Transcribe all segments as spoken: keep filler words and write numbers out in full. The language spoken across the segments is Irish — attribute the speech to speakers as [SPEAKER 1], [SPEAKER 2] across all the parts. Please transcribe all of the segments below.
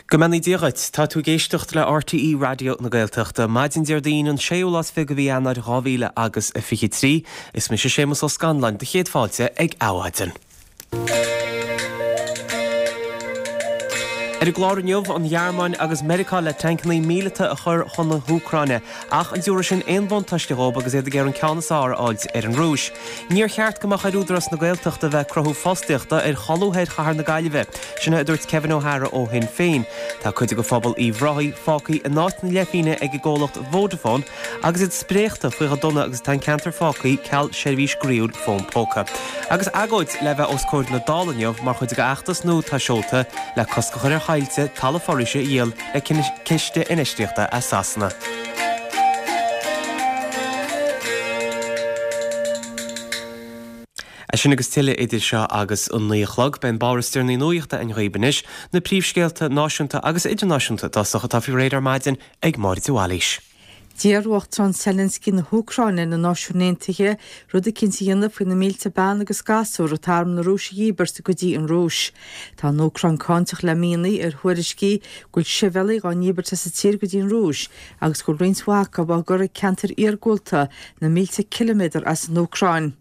[SPEAKER 1] Go mbeannaí Dia dhuit. Tá tú ag éisteacht le RTÉ Raidió na Gaeltachta. Maidin Déardaoin an séú lá is fiche de mhí Eanáir dhá mhíle agus a fiche trí. Is mise Séamus Ó Scanláin, do chéad fáilte ag Adhmhaidin. Ar an gclár inniu, an Ghearmáin agus Meiriceá le tancanna míleata a chur chun na hÚcráine, ach an dtabharfaidh sin aon bhuntáiste dhóibh agus iad ag iarraidh an ceann is fearr a fháilt ar an Rúis. Níor cheart go mbeadh ar Údarás na Gaeltachta bheith ag cruthú fostaíochta ar cholbha thoir chathair na Gaillimhe, sin é a dúirt Kevin O'Hara ó Shinn Féin. Tá cuid de phobal Uíbh Ráthaigh fágtha in áit na leithphingne ag an gcomhlacht Vodafone agus iad spréachta faoi chomh dona agus atá an ceantar fágtha ceal seirbhís groíúil fón póca. Agus agóid le bheith os comhair na Dála inniu mar chuid de fheachtas nua atá seolta le cosc a chur ar thailte talamh foraoise a dhíol le ciste infheistíochta as Sasana. É sin agus tuilleadh idir seo agus an naoi a chlog. Beidh an báire is deireanaí nuachta againn dhaoibh anois, na príomhscéalta náisiúnta agus idirnáisiúnta i dtosach atá faoi réir ar maidin ag Máire de Bhailís.
[SPEAKER 2] D'iarr Uachtarán Zelensky na hÚcráine ar na Náisiúin Aontaithe rud eicínt a dhéanamh faoi na mílte bean agus gasúr atá arm na Rúise a dhíbirt go dtí an Rúis. Tá an Úcráin cáinteach le míonna ar thuairiscí go bhfuil sibhialaigh á ndíbirt as an tír go dtí an Rúis agus go bhfuil roinnt mhaith acu á gcur ag ceantair iargúlta na mílte ciliméadar as an Úcráin.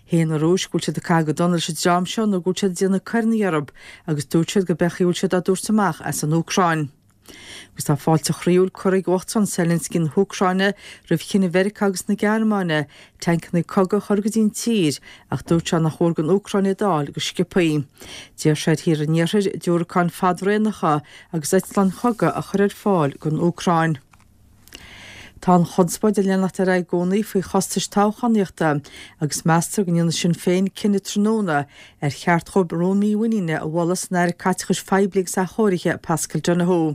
[SPEAKER 2] Shéan an Rúis go bhfuil siad ag caitheamh go dona leis an dream seo nó go bhfuil siad ag déanamh coireanna orthu agus dúirt siad go b'é an chaoi a bhfuil siad á dtabhairt amach as an Úcráin. Agus tá fáilte chroíúil curtha ag Uachtarán Zelensky na hÚcráine roimh chinneadh Mheiriceá agus na Gearmáine tancanna cogaidh a chur go dtí an tír ach dúirt sé nach mhór don Úcráin iad a fháil go sciobthaí. D'iarr sé ar thíortha an Iarthair diúracáin fadaraonacha agus eitleáin chogaidh a chur ar fáil don Úcráin. Tá an chonspóid ag leanacht ar aghaidh i gcónaí faoi chostais toghchánaíochta agus meastar go ndéanfaidh Sinn Féin cinneadh tráthnóna ar cheart dhóibh rún mímhuiníne a mholadh san Aire Caiteachais Phoiblí agus Athchóirithe Paschal Donohoe.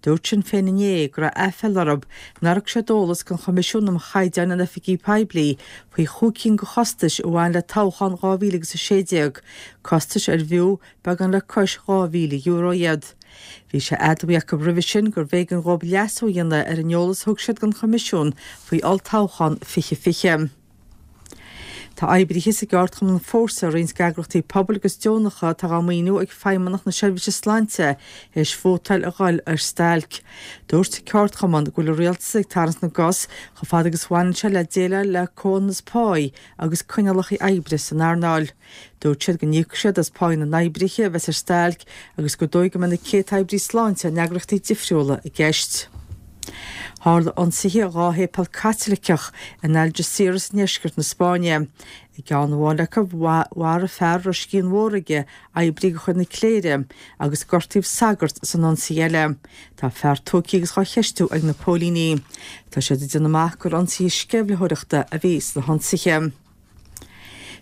[SPEAKER 2] Dúirt Sinn Féin inné go raibh aiféala orthu nár thug siad eolas don Choimisiún um Chaighdeáin in Oifigí Poiblí faoi chúig cinn de chostais a bhain le toghchán dhá mhíle agus a sé déag, costais ar bhfiú beagán le cois dhá mhíle euro iad. Bhí sé admhaithe acu roimhe sin gurbh éigean dhóibh leasú a dhéanamh ar an eolas a thug siad don Choimisiún faoi olltoghchán fiche fiche. Tá oibrithe sa gceardchumann Fórsa, roinnt d'eagraíochtaí pobail agus deonacha atá á maoiniú ag Feidhmeannacht na Seirbhíse Sláinte théis vótáil a dhul ar stailc. Dúirt an ceardchumann go bhfuil an rialtas ag tarraingt na gcos chomh fada agus a bhaineann sé le déileáil le comhionannas páí agus coinníollacha oibre san earnáil. Dúirt siad go n-íocfaidh siad as páí na n-oibrithe a bheas ar stailc agus gur dóigh go mbeidh na céadta oibrí sláinte in eagraíochtaí difriúla i gceist. Tharla ionsaithe dhá shéipéal Caitliceach in Algeciras i ndeisceart na Spáinne. I gceann amháin acu, mharaigh fear a raibh scian mhór aige oibrí de chuid na cléire agus gortaíodh sagart san ionsaí eile. Tá fear tógtha agus á cheistiú ag na póilíní. Tá siad ag déanamh amach gur ionsaithe sceimhlitheoireachta a bhí sna hionsaithe.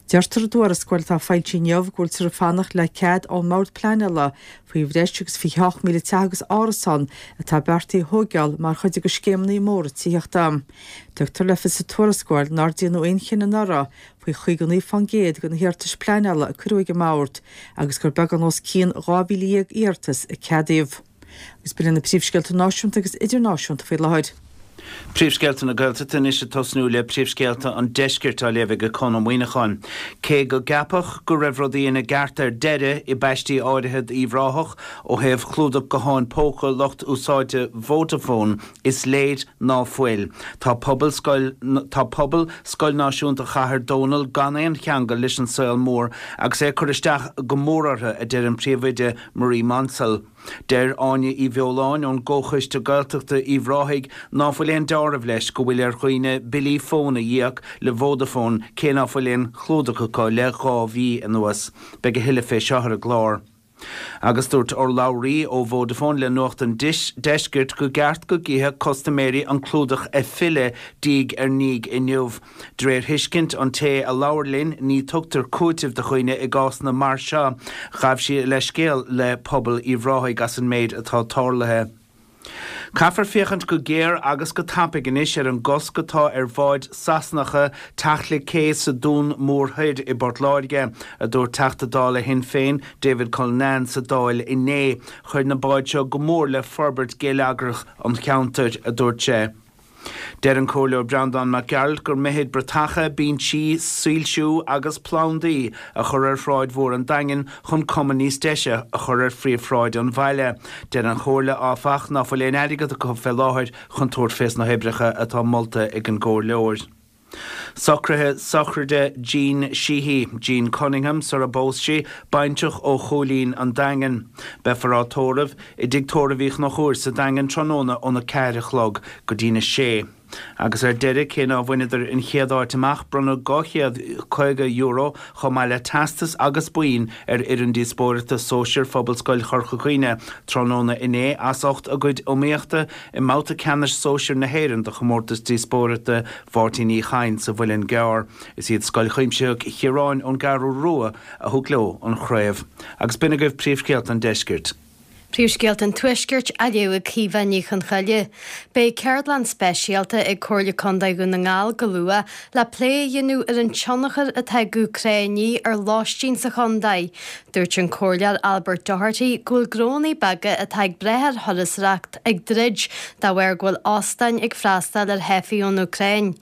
[SPEAKER 2] Deirtear i dtuarascáil atá foilsithe inniu go bhfuiltear ag fanacht le cead ón mBord Pleanála faoi bhreis agus fiche hocht míle teach agus árasán atá beartaithe a thóigeáil mar chuid de scéimeanna móra tithíochta. Tugtar le fios sa tuarascáil nár déanadh aon chinneadh anuraidh faoi chaoga naoi fán gcéad de na hiarratais pleanála a cuireadh ag an mBord agus gur beagán os cionn dhá mhíle dhéag iarratas a ceadaíodh. Agus b'in iad na príomhscéalta náisiúnta agus idirnáisiúnta faoi láthair.
[SPEAKER 3] Príomhscéalta na Gaeltachta anois ag tosnú le príomhscéalta an deiscirt á léamh ag Conn Ó Muíneacháin. Cé go gceapadh go raibh rudaí ina gceart ar deireadh i bpaistí áirithe d'Uíbh Ráthach ó thaobh chlúdach gutháin póca lucht úsáide Vodafone, is léir ná fuil. Tá pobal scoil Tá pobal Scoil Náisiúnta Chathair Dónall gan aon cheangal leis an saol mór agus é ag cur isteach go mór orthu, a deir an príomhoide Marie Maunsell. Deir Áine Uí Bheoláin ón gComhchoiste Gaeltachta Uíbh Ráthaigh ná fuil aon deáramh leis go bhfuil ar dhaoine billí fóin a dh'íoc le Vodafone cé ná fuil aon chlúdach acu le dhá mhí anuas. Beidh a thuilleadh fé seo ar an gclár. Agus dúirt urlabhraí ó Vodafone le Nuacht an Deiscirt go gceart go gcífeadh custaiméirí an clúdach ag filleadh diaidh ar ndiaidh inniu. De réir thuiscint an té a labhair linn, ní tugtar cúiteamh do dhaoine i gcásanna mar seo. Ghabh sí a leithscéal le pobal Uíbh Ráthaigh as an méid atá tarlaithe. Caithfear féachaint go géar agus go tapaidh anois ar an gcosc atá ar bháid Sasanacha teacht le cé sa Dún Mór Thoir i bPort Láirge, a dúirt Teachta Dála Shinn Féin David Cullinane sa Dáil inné. Chuir na báid seo go mór le forbairt geilleagrach an cheantair, a dúirt sé. Deir an Comhairleoir Breandán Mac Gearailt gur mithid bratacha, binsí, soilsiú agus plandaí a chur ar Shráid Mhór an Daingin chun cuma níos deise a chur ar phríomhshráid an bhaile. Deir an Chomhairle, áfach, ná fuil aon airgead acu fé láthair chun tabhairt fés na hoibreacha atá molta ag an gcomhairleoir. Socruithe sochraide Jean Sheehy, Jean Cunningham sar a bpós sí, baintreach ó Chúilín an Daingin. Beifear á tórramh i dTigh Tórraimh Uí Chonchúir sa Daingean tráthnóna óna ceathair a chlog go dtína sé. Agus ar deireadh, cé ná bhaineadar an chéad áit amach, bronnadh dhá chéad caoga euro chomh maith le teastas agus boinn ar fhoireann díospóireachta sóisir Phobalscoil Chorca Dhuibhne tráthnóna inné as ucht a gcuid iomaíochta i mbabhta ceannais sóisir na hÉireann do chomórtas díospóireachta Mháirtín Uí Chadhain sa Mhuileann gCearr. Is iad Scoil Chuimsitheach Chiaráin ón gCeathrú Rua a thug leo an chraobh. Agus b'in agaibh príomhscéalta an deiscirt.
[SPEAKER 4] Príomhscéalta an Tuaiscirt á léamh ag Caoimhe Ní Chonchoille. Beidh ceardlann speisialta ag Comhairle Contae Dhún na nGall go luath le plé a dhéanamh ar an tionchar atá ag Úcráinigh ar lóistín sa chontae. Dúirt an Comhairleoir Albert Doherty go bhfuil gnónna beaga atá ag brath ar thurasóireacht ag druid de bharr go bhfuil óstáin ag freastal ar theifigh ón Úcráin.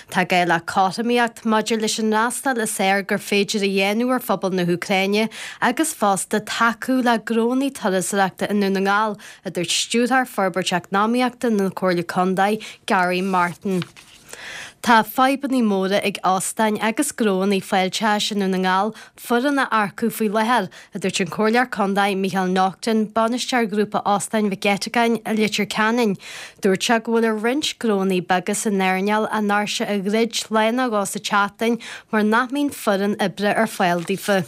[SPEAKER 4] Tá gá le cothromaíocht maidir leis an fhreastal is fearr gur féidir a dhéanamh ar phobal na hÚcráine agus fosta tacú le gnónna turasóireachta i nDún na nGall, a dúirt Stiúrthóir Forbairt Eacnamaíochta na Comhairle Contae, Gary Martin. Tá fadhbanna móra ag óstáin agus gnónna fáilteachais i nDún na nGall foireann a earcú faoi láthair, a dúirt an Comhairleoir Contae Micheál Naughton, bainisteoir Ghrúpa Óstáin Mhic Eiteagáin i Leitir Ceanainn. Dúirt sé go bhfuil ar roinnt gnónna beaga san earnáil a ndoirse a dhruid lá nó dhó sa tseachtain mar nach mbíonn foireann oibre ar fáil daofa.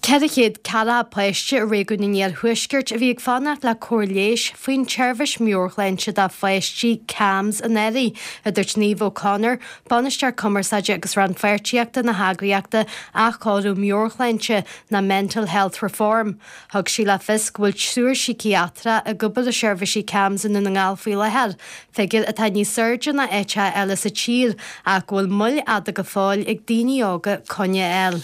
[SPEAKER 4] Ceithre chéad ceathracha páiste i réigiún an Iarthuaiscirt a bhí ag fanacht le cóir leighis faoin tseirbhís meabhairshláinte do pháistí, CAMHS, anuraidh, a dúirt Niamh O'Connor, Bainisteoir Cumarsáide agus Rannpháirtíochta na heagraíochta Athchóiriú Meabhairshláinte ná Mental Health Reform. Thug sí le fios go bhfuil triúr síciatrach ag obair i seirbhísí CAMHS i nDún na nGall faoi láthair, figiúr atá níos airde ná áiteacha eile sa tír ach go bhfuil moill fhada go fóill ag daoine óga coinne a fháil.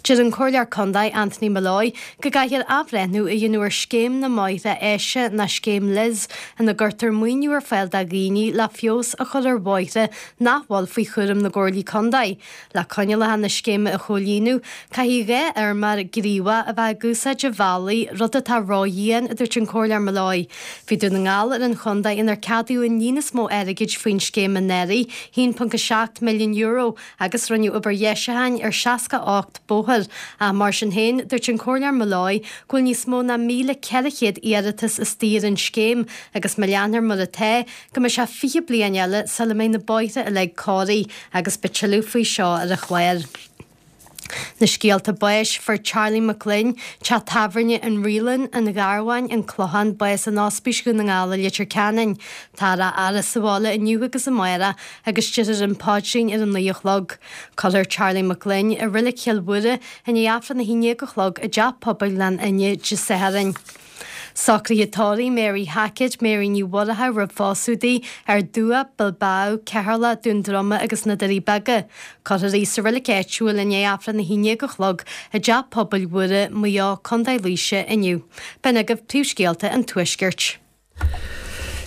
[SPEAKER 4] Deir an Comhairleoir Contae Anthony Molloy go gcaithfear athbhreithniú a dhéanamh ar Scéim na mBóithre Áise ná Scéim Liz ina gcuirtear maoiniú ar fáil do dhaoine le feabhas a chur ar bhóithre nach bhfuil faoi chúram na gComhairlí Contae. Le coinníollacha na scéime a chomhlíonadh, caithfidh dhá fheirmeoir gníomhach a bheith ag úsáid an bhealaigh, rud atá ródhian, a dúirt an Comhairleoir Molloy. Bhí Dún na nGall ar an chontae inar ceadaíodh an líon is mó airgid faoin scéim anuraidh, a haon ponc a seacht milliún euro, agus rinneadh obair dheisiúcháin ar seasca a ocht bóthar. Ach mar sin féin, dúirt an Comhairleoir Molloy go bhfuil níos mó ná míle ceithre chéad iarratas istigh ar an scéim agus má leanfar mar atá, go mbeidh sé fiche bliain eile sula mbeidh na bóithre uilig cóirithe agus beidh tuilleadh faoi seo ar an chlár. Na scéalta báis, Fuair Charlie McGlynn, teach tábhairne An Reelan, An Gharbháin, An Clochán, bás in Ospís Dhún na nGall i Leitir Ceanainn. Táthar á fhaire sa bhaile inniu agus amárach agus déarfar an paidrín ar a naoi a chlog. Cuirfear Charlie McGlynn i Reilig Chill Mhuire i ndiaidh Aifreann a haon déag a chlog i dTeach Pobail Ghleann Fhinne Dé Sathairn. Socruithe tórraimh Mary Hackett, Mary Ní Mhurchadha roimh phósadh di, Ard Dumhach, Bilbao, Ceatharlach, Dún Droma agus na Doirí Beaga. Cuirfear í sa reilig áitiúil i ndiaidh Aifreann a haon déag a chlog i dTeach Pobail Mhuire, Maigh Eo, Contae Laoise inniu. B'in agaibh príomhscéalta an Tuaiscirt.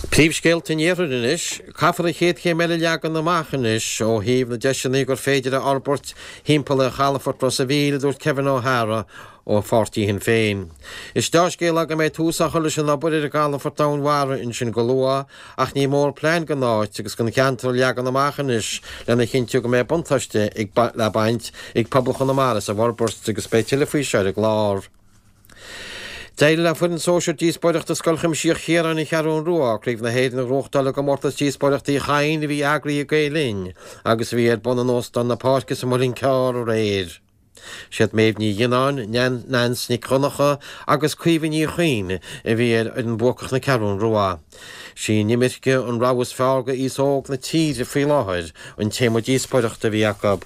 [SPEAKER 5] Príomhscéalta an Iarthair anois. Caithfear an chéad chéim eile a leagan amach anois ó thaobh na deiseanna gur féidir a fhorbairt thimpeall ar chalafort Ros a' Mhíl, a dúirt Kevin O'Hara ó pháirtí Shinn Féin. Is dea-scéala go mbeidh tús á chur leis an obair ar an gcalafort domhainmhara ansin go luath ach ní mór plean don áit agus don cheantar a leagan amach anois lena chinntiú go mbeidh buntáiste le baint ag pobal Chonamara as an bhforbairt agus beidh tuilleadh faoi seo ar an gclár. D'éirigh le foireann sóisir díospóireachta Scoil Chuimsitheach Chiaráin, An Cheathrú Rua, Craobh na hÉireann a ghnóthachtáil i gcomórtas díospóireachta Uí Chadhain a bhí eagraithe ag Gael Linn agus a bhí ar bun in Óstán na Páirce sa Mhuileann Cearr aréir. Siad Méabh Ní Ghionnáin, Nance Nic Dhonncha agus Caoimhe Ní Chuinn a bhí ar fhoireann buacach na Ceathrún Rua. Sí an imirce an rogha is fearr do aos óg na tíre faoi láthair an téama díospóireachta a bhí acu.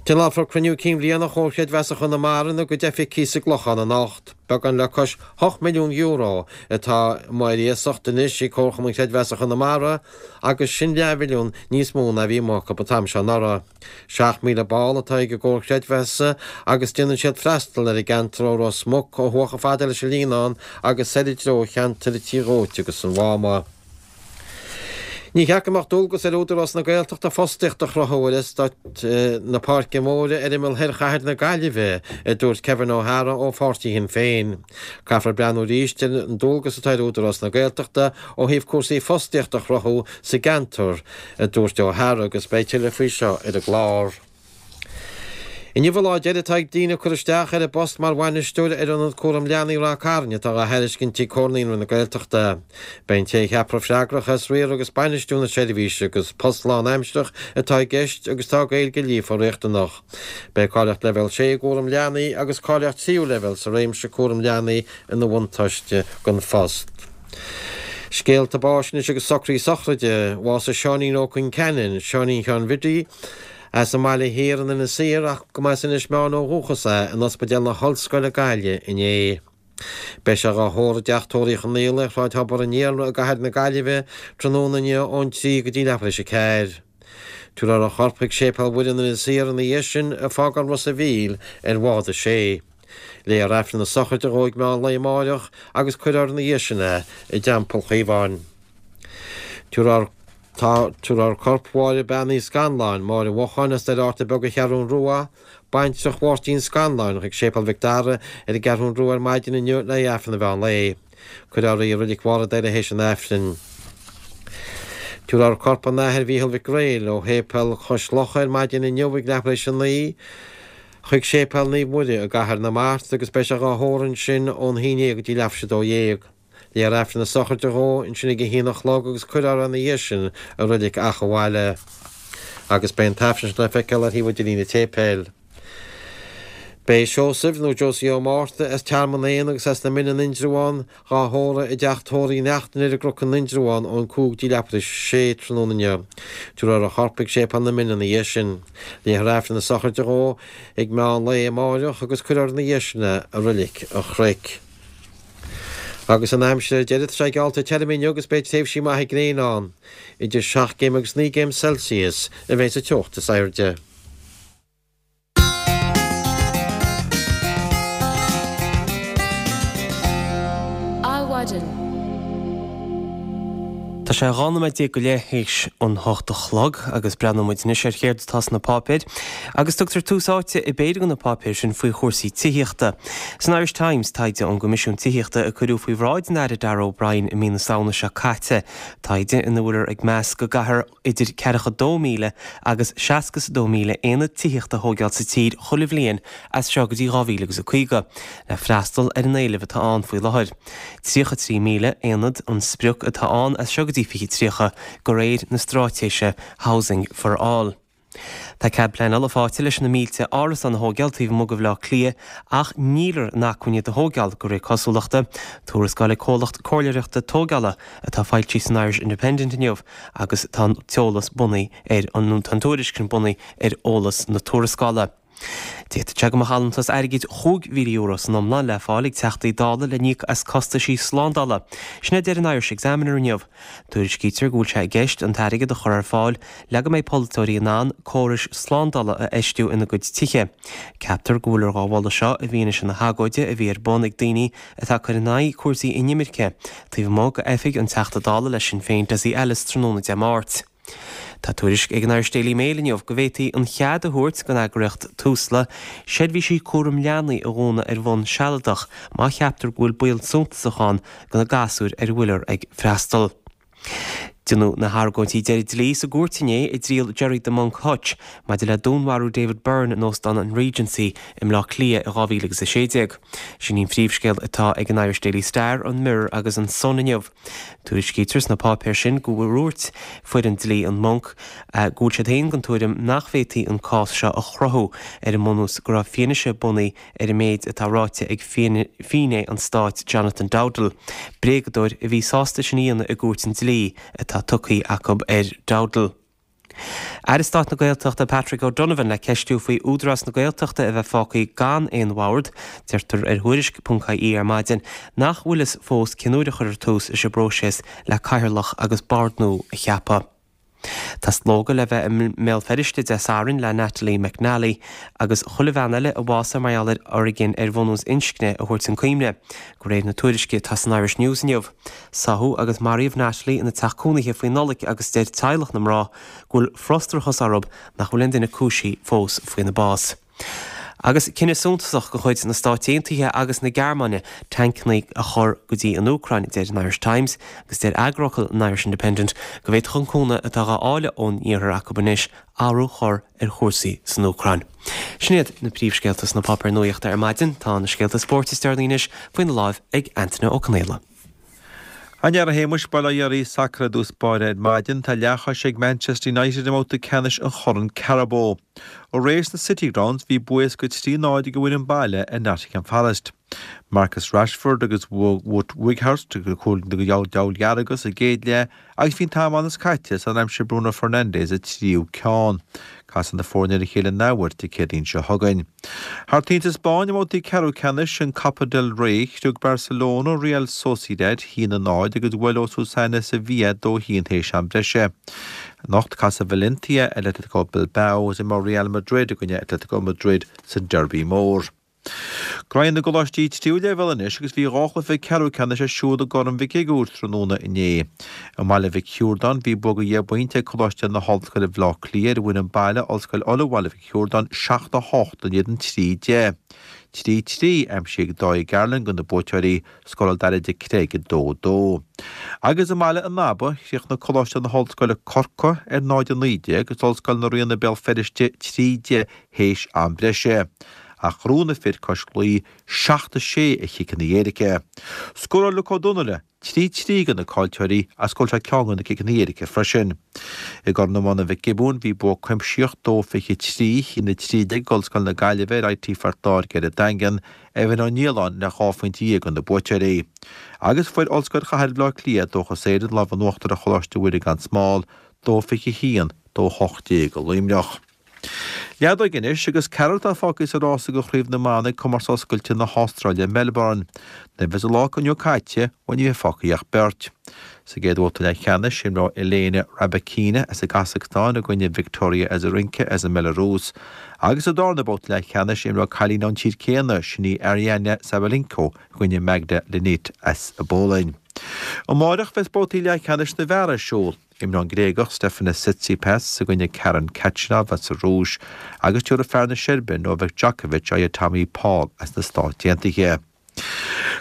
[SPEAKER 5] Tionólfar cruinniú cinn bhliana Chomhar Creidmheasa Chonamara ina gcuid oifigí sa gClochán anocht. Beagán le cois hocht milliún euro atá amuigh ar iasacht anois ag Comharchumann Creidmheasa Chonamara agus sin leathmhilliún níos mó ná a bhí amuigh acu an t-am seo anuraidh. Seacht míle ball atá ag an gComhar Creidmheasa agus déanann siad freastal ar an gceantar ó Ros Muc ó thuaidh chomh fada leis an Líonán agus soir i dtreo cheantar an Tí Dhóite agus an Mháma. Ní cheart go mbeadh dualgas ar Údarás na Gaeltachta fostaíocht a chruthú ar eastát na Páirce Móire ar imeall thoir chathair na Gaillimhe, a dúirt Kevin O'Hara ó pháirtí Shinn Féin. Caithfear breathnú arís ar an dualgas atá ar Údarás na Gaeltachta ó thaobh cúrsaí fostaíochta a chruthú sa gceantar, a dúirt O'Hara agus beidh tuilleadh faoi seo ar an gclár. Inniu an lá deiridh atá ag daoine cur isteach ar an bpost mar bhainisteoir ar Ionad Cúram Leanaí Ráth Cairn atá á thairiscint ag Comhar Naíonraí na Gaeltachta. Beidh an té a cheapfar freagrach as riar agus bainistiú na seirbhíse agus post lánaimsearach atá i gceist agus tá Gaeilge líofa riachtanach. Beidh cáilíocht Leibhéal sé i gcúram leanaí agus cáilíocht tríú leibhéal sa réimse cúram leanaí ina bhuntáiste don phost. Scéalta báis anois agus socruithe sochraide. Bhásaigh Seáinín Ó Concheanainn, Seáinín Sheáin Bhiddy, as an mBaile Thiar in Inis Oírr ach go mba as Inis Meáin ó dhúchas é, in Ospidéal na hOllscoile Gaillimh inné. Beidh sé dhá thórramh i dTeach Tórraimh Uí Chonaola ar Shráid Thobar an Iarla i gcathair na Gaillimhe tráthnóna inniu ón trí go dtí leathuair tar éis a ceathair. Tabharfar a chorp chuig Séipéal Mhuire in Inis Oírr ina dhiaidh sin, ag fágáil Ros a' Mhíl ar bhád a sé. Léifear Aifreann na sochraide dhó ag meán lae amáireach agus cuirfear ina dhiaidh sin é i dTeampall Chaomháin. Tabharfar Tabharfar corp Mháire Bean Uí Scanláin, Máire Mhocháin as Doire Fhatharta Beag an Cheathrún Rua, baintreach Mháirtín Scanláin, chuig Séipéal Mhic Dara ar an gCeathrún Rua ar maidin inniu le haghaidh Aifreann an mheán lae. Cuirfear í i Reilig Bharr an Doire théis an Aifrinn. Tabharfar corp an Athar Mhícheál Mhic Gréil ó Shéipéal Chois Locha ar maidin inniu ag leathuair tar éis a naoi chuig Séipéal Naomh Muire i gCathair na Mart agus beidh sé dhá thórramh ansin ón haon déag go dtí leathuair tar éis a dó dhéag. Léifear Aifreann na sochraide dhó ansin ag a haon a chlog agus cuirfear ina dhiaidh sin i Reilig Achadh Bhaile. Agus beidh an t-aifreann sin le feiceáil ar thaobh idirlín an tséipéil. Beidh Seosamh, nó Josie Ó Márta, as Tearmann Éanna agus as na Mine in Indreabhán, dhá thórramh i dteach tórraimh Uí Neachtain ar an gCnoc in Indreabhán ón cúig dtí leathuair tar éis a sé tráthnóna inniu. Tabharfar a chorp chuig Séipéal na Mine ina dhiaidh sin. Léifear Aifreann na sochraide dhó ag meán lae amáireach agus cuirfear ina dhiaidh sin é i Reilig an Chnoic. Agus an aimsir ar deireadh, tá sé geallta tirim inniu agus beidh tréimhsí maithe gréine ann. Idir seacht gcéim agus naoi gcéim Celsius a bheidh sa teocht is airde.
[SPEAKER 1] Adhmhaidin. Tá sé dhá nóiméad déag go leith théis an hocht a chlog agus breathnóidh muid anois ar chéard atá sna páipéir agus tugtar tús áite i bpéire de na páipéir sin faoi chúrsaí tithíochta. San Irish Times, taighde ón gCoimisiún Tithíochta a cuireadh faoi bhráid an Aire Darragh O'Brien i mí na Samhna seo caite, taighde ina bhfuiltear ag meas go gcaithfear idir ceathracha dó míle agus seasca is a dó míle aonad tithíochta a thóigeáil sa tír chuile bhliain as seo go dtí dhá mhíle agus a caoga le freastal ar an éileamh atá ann faoi láthair. tríocha trí míle aonad an sprioc atá ann as seo go dtí fiche tríocha de réir na straitéise Housing for All. Tá cead pleanála faighte leis na mílte árasán a thóigeáil taobh amuigh de Bhaile Átha Cliath ach níltear in acmhainn iad a thóigeáil de réir cosúlachta. Tuarascáil ag comhlacht comhairleoireachta tógála atá foilsithe san Irish Independent inniu agus tá an t-eolas bunaithe ar an nó tá an tuairisc sin bunaithe ar eolas na tuarascála. D'fhéadfadh sé go mbeadh allúntas airgid chúig mhíle euro san iomlán le fáil ag Teachtaí Dála le n-íoc as costaisí slándála. Sin a deir an Irish Examiner inniu. Tuairiscítear go bhfuil sé i gceist an t-airgead a chur ar fáil le go mbeidh polaiteoirí in ann córais slándála a fheistiú ina gcuid tithe. Ceaptar go bhfuiltear dhá mholadh seo i bhfianaise na hagóide a bhí ar bun ag daoine atá ag cur in aghaidh cúrsaí inimirce taobh amuigh d'oifig an Teachta Dála le Sinn Féin Dessie Ellis tráthnóna Dé Máirt. Tá tuairisc ag an Irish Daily Mail inniu go bhféadfaí an chead a thabhairt don eagraíocht Tusla seirbhísí cúram leanaí a dhúnadh ar bhonn sealadach má cheaptar go bhfuil baol suntasach ann do na gasúir ar a bhfuiltear ag freastal. Déanadh na hargóintí deiridh dlí sa gcúirt inné i dtriail Gerry 'The Monk' Hutch maidir le dúnmharú David Byrne in Óstán an Regency i mBleá Cliath i dhá mhíle agus a sé déag. Sin í an phríomhscéal atá ag an Irish Daily Star, an Mirror agus an Sun inniu. Tuairiscítear sna páipéir sin go ndúirt foireann dlí an Monk go bhfuil siad féin den tuairim nach bhféadfaí an cás seo a chruthú ar an mbunús go raibh fianaise bunaithe ar an méid atá ráite ag finné an stáit Jonathan Dowdall. Bréagadóir a bhí sásta sin a dhéanamh i gcúirt an dlí atá tugtha acu ar Dowdall. Aire Stáit na Gaeltachta Patrick O'Donovan le ceistiú faoi Údarás na Gaeltachta a bheith fágtha gan aon bhord. Deirtear ar Thuairisc ponc ie ar maidin nach bhfuil fhios fós cén uair a chuirfear tús leis an bpróiseas le cathaoirleach agus bord nua a cheapadh. Tá slógadh le bheith i mBéal Feirste Dé Sathairn le Natalie McNally agus chuile bhean eile a bhásaigh mar gheall ar fhoréigean ar bhunús inscne a thabhairt chun cuimhne, de réir na tuairisce atá san Irish News inniu. Sáthadh agus maraíodh Natalie ina teach cónaithe faoi Nollaig agus deir teaghlach na mná go bhfuil frustrachas orthu nach bhfuil aon duine cúisithe fós faoina bás. Agus cinneadh suntasach de chuid na Stáit Aontaithe agus na Gearmáine tancanna a chur go dtí an Úcráin, deir an Irish Times, agus deir eagarfhocal an Irish Independent go bhféadfadh an cúnamh atá á fháil ón iarthar acu anois athrú a chur ar chúrsaí san Úcráin. Sin iad na príomhscéalta sna páipéir nuachta ar maidin. Tá na scéalta spóirt is deireanaí anois faoina láimh ag Antaine Ó Conaola.
[SPEAKER 6] A Shéamuis, bail ó Dhia oraibh sacar i dtús báire ar maidin, tá leathchois ag Manchester United i mbabhta ceannais an Chorn Carabao. Aréir sna City Grounds bhí bua éasca trí náid ag an bhfoireann baile ar Nottingham Forest. Marcus Rashford agus Wout Weghorst na cúil do na sa gcéad leath agus bhí an t-am ann is caite sar aimsigh Bruno Fernandes an tríú ceann. Casfaidh na foirne ar a chéile in athuair Dé Céadaoin seo chugainn. Thar toinn sa Spáinn i mbabhtaí ceathrú ceannais an Copa del Rey, scrios Barcelona Real Sociedad haon a náid agus bhuail Osasuna Sevilla dó haon théis am breise. Anocht casfaidh Valencia Atletico Bilbao is imreoidh Real Madrid i gcoinne Atletico Madrid sa Derby mór. Graí na gColáistí tríú leibhéal anois agus bhí dhá chluiche ceathrú ceannais ar siúl i gCorn Mhic Shigiúir tráthnóna inné. I mBaile Mhic Shiúrdáin bhí bua de dheich bpointe ag Coláiste na hOllscoile Bhaile Átha Cliath ar an bhfoireann baile Ollscoil Uladh Bhaile Mhic Shiúrdáin seacht a hocht in éadan trí deich. Trí trí aimsithe ag Dáithí Garland do na buaiteoirí, scóráil Daire de Creag a dó dó. Agus i mBaile an Aba, chríochnaigh Coláiste na hOllscoile Corcaigh ar náid a naoi déag agus Ollscoil na Ríona Béal Feirste trí deich théis am breise. Ach ghnóthaigh na fir cois Laoi seacht a sé ar chiceanna éirice. Scóráil Luke Ó Donnaile trí trí do na caillteoirí agus scóráil sé ceann de na ciceanna éirice freisin. I gCorn Iomána Mhic Giobúin bhí bua cuimsitheach dó fiche trí haon a trí déag ag Ollscoil na Gaillimhe ar IT Phort Láirge ar an Daingean, Evan Ó Nialláin le dhá phointe dhéag do na buaiteoirí. Agus fuair Ollscoil Chathair Bhaile Átha Cliath Dúchas Éireann lámh in uachtar ar Choláiste Mhuire gan Smál, dó fiche haon, dó hocht déag i Luimneach. Leadóg anois agus ceathrar atá fágtha sa rása do Chraobh na mBan ag Comórtas Oscailte na hAstráile i Melbourne. Nuair a bheas an lá inniu caite, bhuel ní bheidh fágtha ach beirt. Sa gcéad bhabhta leathcheannais, imreoidh Elena Rybakina as an gCasacstáin i gcoinne Victoria Azarenka as an mBelarúis. Agus sa darna babhta leathcheannais, imreoidh cailín ón tír céanna, sin í Aryna Sabalenka i gcoinne Magda Linette as an bPolainn. Amárach bheas babhtaí leathcheannais na bhfear ar siúl. Imreoidh an Gréagach Stefanos Tsitsipas i gcoinne Karen Khachanov as an Rúis agus tabharfaidh fear na Seirbia Novak Djokovic aghaidh ar Tommy Paul as na Stáit Aontaithe.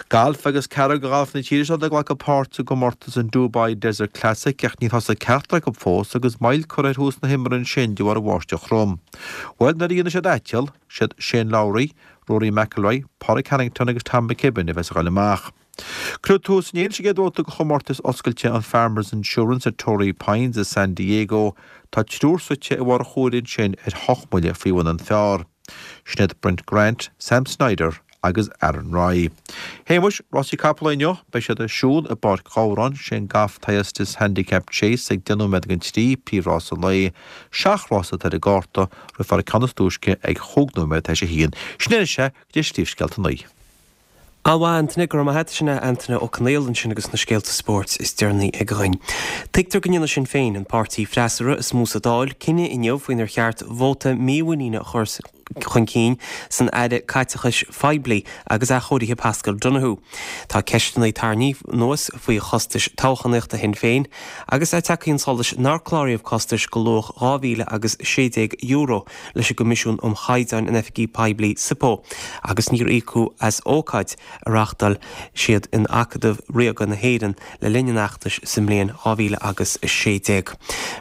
[SPEAKER 6] Galf agus ceathrar de ghalf na tíre seo ag glacadh páirt sa gcomórtas an Dubai Desert Classic ach níor thosaigh ceachtar acu fós agus moill curtha ar thús na himeartha ansin de bharr an bháisteach throm. Bhuel nuair a dhéanfaidh siad aiteal, siad Shane Lowry, Rory McIlroy, Pádraig Harrington agus Tom McKibbin a bheas ag dul amach. Cuireadh tús inné leis an gcéad bhabhta de chomórtas oscailte an Farmers Insurance at Torrey Pines i San Diego. Tá triúr suite i bharr an chomhairimh ansin ar hocht mbuille faoi bhun an phar. Sin iad Brent Grant, Sam Snyder agus Aaron Rai. Shéamuis, rásaí capall inniu, beidh siad ar siúl i bPáirc Ghabhráin, sé an Goff Thyestes Handicap Chase ag deich nóiméad don trí, príomhrás an lae. Seacht rás atá ar an gcárta, rithfear an ceann is túisce ag chúig nóiméad tar éis a haon. Sin é anois é, go dtí Príomhscéalta a naoi.
[SPEAKER 1] An-mhaith, Antaine, go raibh maith agat. Sin é Antaine Ó Conaola ansin agus na scéalta spóirt is deireanaí aige dhuinn. Tuigtear go ndéanfaidh Sinn Féin, an páirtí freasúra is mó sa Dáil, cinneadh inniu faoinar cheart vóta mímhuiníne a chur chun cinn san Aire Caiteachais Phoiblí agus Athchóirithe Paschal Donohoe. Tá ceisteanna tarraingthe anuas faoi chostais toghchánaíochta Shinn Féin agus é tagtha chun solais nár cláraíodh costais de luach dhá mhíle agus sé déag euro leis an gCoimisiún um Chaighdeáin in Oifigí Poiblí, SIPO, agus níor íocadh as ócáid a reáchtáil siad in Acadamh Ríoga na hÉireann le linn an fheachtais sa mbliain dhá mhíle agus a sé déag.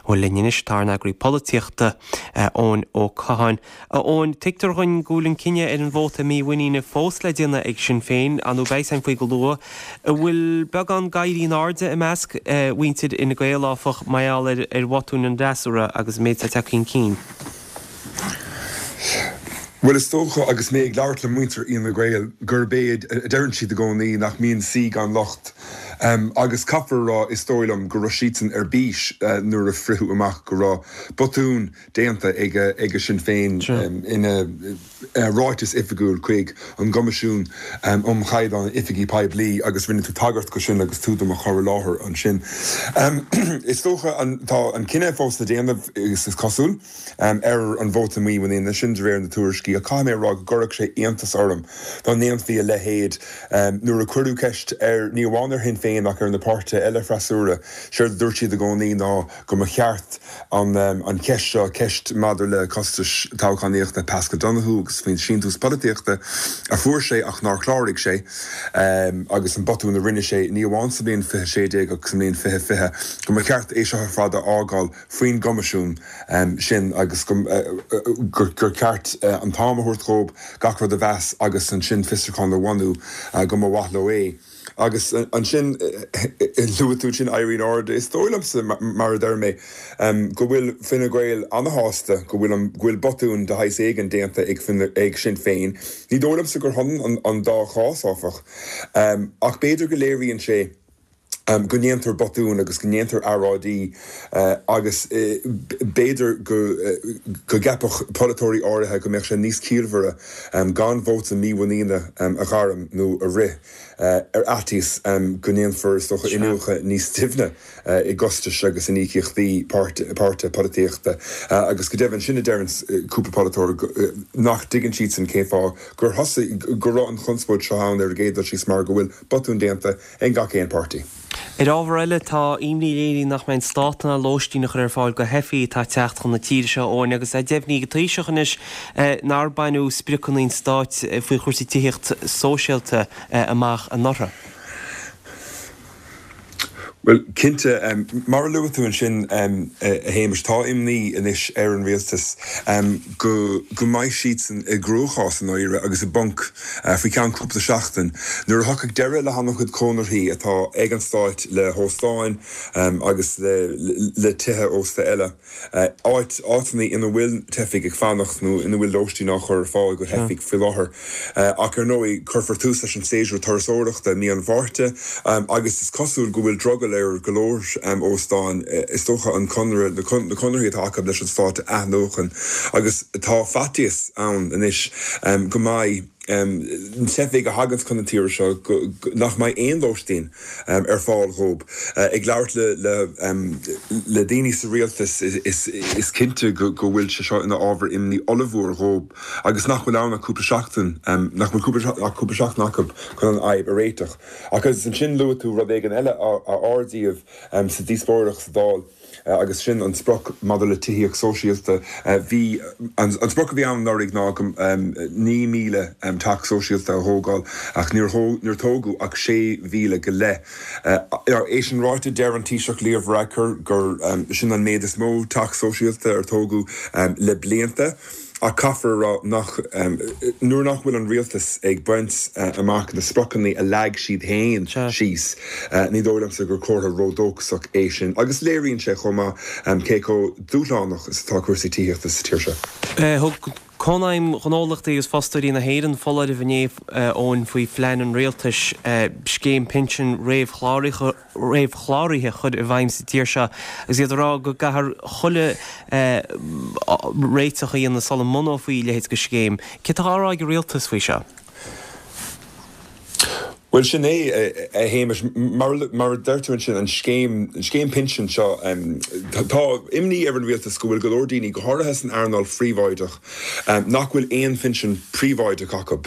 [SPEAKER 1] Bhuel linn anois tá ár n-eagraí polaitíochta, Eoin Ó Catháin. A Eoin, tuigtear dhuinn go bhfuil an cinneadh ar an vóta mímhuiníne fós le déanamh ag Sinn Féin, nó beidh a fhios againn faoi go luath. An bhfuil beagán ag éirí in airde i measc mhuintir Fhine Gael, áfach, mar gheall ar bhotúin an fhreasúra agus an méid atá tagtha chun cinn?
[SPEAKER 7] Bhuel, is dócha, agus mé ag labhairt le muintir Fhine Gael, gurb é a deireann siad i gcónaí nach mbíonn saoi gan locht. Agus caithfear a rá, is dóigh liom, go raibh siadsan ar bís nuair a fritheadh amach go raibh botún déanta ag Sinn Féin ina ráiteas oifigiúil chuig an gCoimisiún um Chaighdeán Oifigí Poiblí agus rinne tú tagairt go sin agus tú do mo chur i láthair ansin. Is dócha tá an cinneadh fós le déanamh, is cosúil, ar an vóta mímhuiníne sin de réir na tuairiscí ach caithfidh mé a rá go gcuirfeadh sé iontas orm dá ndéanfaí a leithéid nuair a cuireadh ceist ar, ní amháin ar Shinn Féin ach ar na páirtithe eile freasúra. Séard a dúirt siad i gcónaí ná go mba cheart an cheist seo, ceist maidir le costais toghchánaíochta Paschal Donohoe agus faoin síntiús polaitíochta a fuair sé ach nár chláraigh sé agus an botún a rinne sé ní amháin sa bhliain fiche sé déag ach sa mbliain fiche fiche, go mba cheart é seo ar fad a fhágáil faoin gCoimisiún sin agus gur ceart an t-am a thabhairt dhóibh gach rud a mheas agus ansin fiosrúchán a bhunú go mba mhaith leo é. Agus ansin, luaigh tú ansin éirí in airde. Is dóigh liomsa, mar a deir mé, go bhfuil Fine Gael ana-shásta go bhfuil an, go bhfuil botún de shaghas éigin déanta ag Fine, ag Sinn Féin. Ní dóigh liomsa gur hionann an dá chás, áfach. Ach b'fhéidir go léiríonn sé go ndéantar botúin agus go ndéantar earráidí agus b'fhéidir go gceapfadh polaiteoirí áirithe go mbeadh sé níos ciallmhaire gan vóta mímhuiníne a ghairm nó a rith ar fhaitíos go ndéanfar, is dócha, iniúchadh níos doimhne i gcostais agus in íocaíochtaí páirtithe polaitíochta. Agus go deimhin, sin a deireann cúpla polaiteoir, nach dtuigeann siadsan cén fáth gur thosaigh, go raibh an chonspóid seo ann ar an gcéad dul síos mar go bhfuil botúin déanta ag gach aon páirtí.
[SPEAKER 1] Ar ábhar eile, tá imní léirithe nach mbeidh an Stát in ann lóistín a chur ar fáil do theifigh atá ag teacht chun na tíre seo, Eoin, agus é deimhnithe ag an Taoiseach anois nár baineadh spriocanna an Stáit faoi chúrsaí tithíocht sóisialta amach anuraidh.
[SPEAKER 7] Bhuel, cinnte, mar a luaigh tú ansin, a Shéamais, tá imní anois ar an rialtas go go mbeidh siadsan i gcruachás i ndáiríre agus i bponc faoi cheann cúpla seachtain nuair a thiocfaidh deireadh le han-chuid conarthaí atá ag an Stát le hóstáin agus le tithe ósta eile. áit, áiteanna ina bhfuil teifigh ag fanacht nó ina bhfuil lóistín á chur ar fáil do theifigh faoi láthair. Ach ar ndóigh, cuirfear tús leis an séasúr turasóireachta i mí an Mhárta agus is cosúil go bhfuil drogall ar go leor óstán, is dócha, an conradh, na conarthaí atá acu leis an Stát a athnuachan agus tá faitíos ann anois go mbeidh teifigh a thaganns chun na tíre seo nach mbeidh aon lóistín ar fáil dhóibh. Ag labhairt le daoine sa rialtas is cinnte go bhfuil sé seo ina ábhar imní ollmhór dhóibh agus nach bhfuil ann ach cúpla seachtain, nach bhfuil ach cúpla seachtain acu chun an fhadhb a réiteach. Agus ansin luaigh tú rud éigin eile a ardaíodh sa díospóireacht sa Dáil. agus sin an sprioc maidir le tithíocht sóisialta. Bhí, an sprioc a bhí ann anuraidh ná naoi míle teach sóisialta a thógáil ach níor níor tógadh ach sé mhíle go leith. É sin ráite, deir an Taoiseach Leo Varadkar gur sin an méid is mó teach sóisialta ar tógadh le blianta. Ach caithfear a rá nach, nuair nach bhfuil an rialtas ag baint amach na spriocanna a leag siad féin síos, ní dóigh liomsa gur comhartha ródhóchasach é sin. Agus léiríonn sé chomh maith cé chomh dúshlánach is atá cúrsaí tithíochta sa tír seo.
[SPEAKER 1] Thug Cónaidhm Ghnólachtaí agus Fostóirí na hÉireann foláireamh inné, Eoin, faoi phlean an rialtais scéim pinsin réamhchláraithe a chur i bhfeidhm sa tír seo agus iad ag rá go gcaithfear chuile réiteach a dhéanamh sula mbunófaí a leithéid de scéim. Céard atá á rá ag an rialtas faoi seo?
[SPEAKER 7] Bhuel, sin é, a Shéamais, mar a deir tú ansin, an scéim, an scéim pinsin seo. Tá imní ar an rialtas go bhfuil go leor daoine, go háirithe san earnáil phríobháideach, nach bhfuil aon phinsean príobháideach acu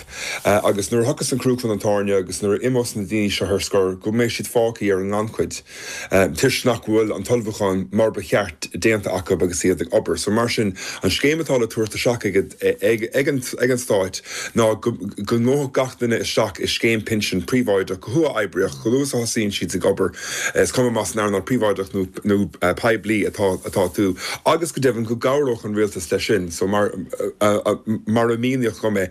[SPEAKER 7] agus nuair a thiocfas an crú chun an tairne agus nuair a imeos na daoine seo ar scor, go mbeidh siad fágtha ar an ngannchuid toisc nach bhfuil an t-ullmhúchán mar ba cheart déanta acu agus iad ag obair. So mar sin, an scéim atá le tabhairt isteach ag ag an Stát ná go ngabhfadh gach duine isteach i scéim pinsin príobháideach go huathoibríoch, chomh luath is a thosaíonn siad ag obair, is cuma más san earnáil phríobháideach nó poiblí atá atá tú, agus go deimhin go gcabhródh an rialtas leis sin. So mar mar a míníodh dom é,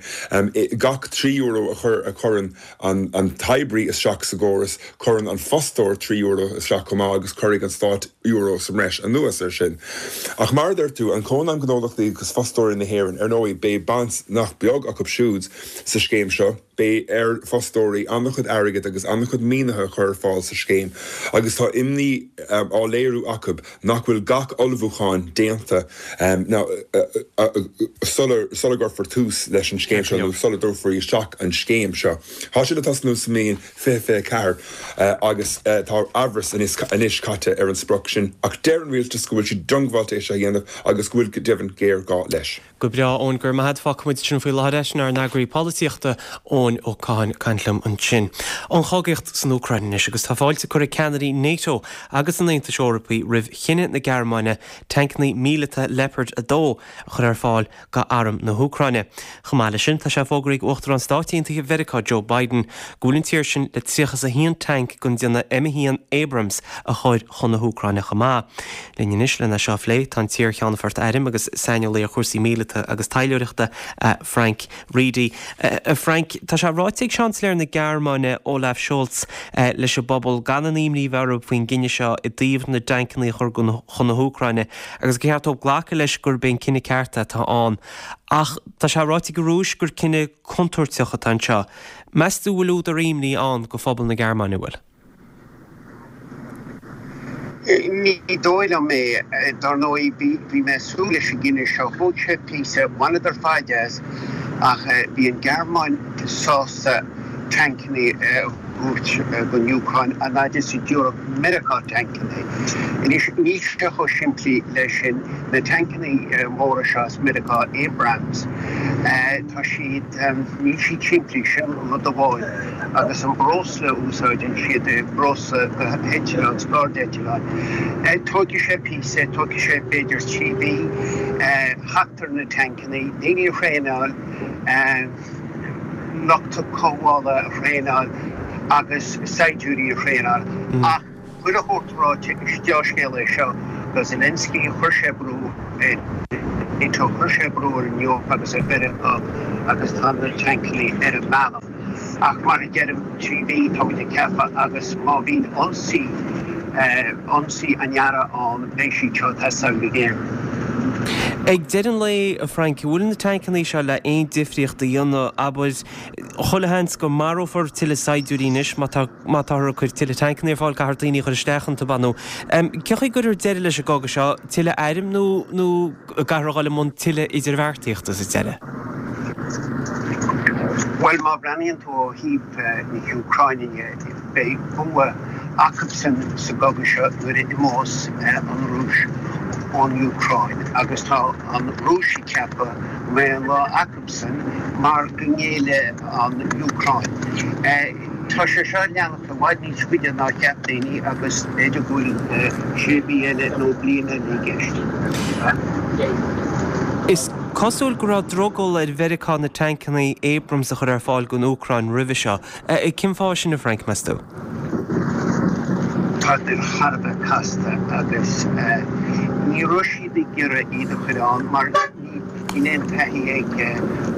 [SPEAKER 7] gach trí euro a chur a chuireann an an t-oibrí isteach sa gcóras, cuireann an fostóir trí euro isteach chomh maith agus cuirfidh an stát euro sa mbreis anuas air sin. Ach mar a deir tú, an Cónaidhm Gnólachtaí agus Fostóirí na hÉireann, ar ndóigh, beidh baint nach beag acu siúd sa scéim seo. beidh ar fostóirí an-chuid airgid agus an-chuid maoinithe a chur ar fáil sa scéim agus tá imní á léiriú acu nach bhfuil gach ullmhúchán déanta sula gcuirfear tús leis an scéim seo nó sula dtabharfar isteach an scéim seo. Tá sé le tosnú sa mbliain fiche fiche a ceathair agus tá amhras anois caite ar an sprioc sin ach deir an rialtas go bhfuil siad diongbháilte é seo a dhéanamh agus go bhfuil go deimhin géarghá leis.
[SPEAKER 1] Go breá, Eoin, go raibh maith agat. Fágfaidh muid sin faoi láthair é. Sin ár n-eagraí polaitíochta, Eoin Ó Catháin, ag caint liom ansin. An chogaíocht san Úcráin anois agus tá fáilte curtha ag ceannairí NATO agus an Aontais Eorpaigh roimh chinneadh na Gearmáine tancanna míleata Leopard a dó a chur ar fáil go arm na hÚcráine. Chomh maith leis sin, tá sé fógraithe ag Uachtarán Stáit Aontaithe Mheiriceá Joe Biden go bhfuil an tír sin le tríocha is a haon tanc den déanamh M a haon Abrams a chur chun na hÚcráine chomh maith. Linn anois lena seo a phlé tá an t-iar-cheannfort airm agus saineolaí ar chúrsaí míleata agus taidhleoireachta, Frank Reidy. A Frank, tá sé ráite ag Seansailéir na Gearmáine Olaf Scholz leis an bpobal gan aon imní a bheith orthu faoin gcinneadh seo i dtaobh na dtancanna a chur chun na hÚcráine agus gur cheart dóibh glacadh leis gurb é an cinneadh ceart atá ann. Ach tá sé ráite ag an Rúis gur cinneadh contúirteach atá anseo. Meas tú bhfuil údar imní ann go phobal na Gearmáine, an bhfuil?
[SPEAKER 8] Ní dóigh liom é. Dar ndóigh, bhí mé ag súil leis an gcinneadh seo. Thóg sé píosa, bhaineadar faid as, ach bhí an Ghearmáin sásta tancanna a thabhairt don Úcráin an fhad is a dtabharfadh Meiriceá tancanna. Anois, níl sé chomh simplí leis sin. Na tancanna móra seo as Meiriceá, Abrams, tá siad, níl siad simplí, sin rud amháin. Agus an breosla a úsáideann siad, breosla do eitleáin, scairdeitleáin, tógfaidh sé píosa, tógfaidh sé b'fhéidir trí mhí theacht ar na tancanna, daoine a thraenáil, lucht cothabhála a thraenáil agus saighdiúirí a thraenáil. Ach chuile shórt ráite, is dea-scéal é seo do Zelensky, chuir sé brú ar NATO, chuir sé brú ar an Eoraip agus ar Mheiriceá agus tá na tancanna ar an mbealach. Ach mar a deirim, trí mhí táimid ag ceapadh agus má bhíonn ionsaí, ionsaí an earraigh ann, beidh siad seo ag teastáil go géar.
[SPEAKER 1] Ag deireadh an lae, a Frank, an bhfuil na tancanna seo le aon difríocht a dhéanamh, abair, chuile sheans go marófar tuilleadh saighdiúirí anois má tá, má táthar ag cur tuilleadh tancanna ar fáil, caithfear daoine a chur isteach iontu, ab ea? Nó cén chaoi a gcuirfear deireadh leis an gcogadh seo, tuilleadh airm nó, nó an gcaithfear a dhul i mbun tuilleadh idirbheartaíochta sa deireadh?
[SPEAKER 8] Bhuel, má bhreathnaíonn tú ó thaobh na hÚcráine de, beidh bua acubsan sa gcogadh seo nuair a imeos an Rúis ón Úcráin agus tá an Rúis ag ceapadh go mbeidh an lá acubsan mar go ngéillfidh an Úcráin. Tá sé seo ag leanacht i bhfad níos faide ná cheap daoine agus b'fhéidir go bhfuil sé mhí eile nó bliain eile i gceist.
[SPEAKER 1] Is cosúil go raibh drogall ar Mheiriceá na tancanna Abrams a chur ar fáil don Úcráin roimhe seo. Cén fáth sin, a Frank, meas tú?
[SPEAKER 8] Tá siad thar a bheith casta agus ní raibh siad ag iarraidh iad a chur ann mar níl aon taithí ag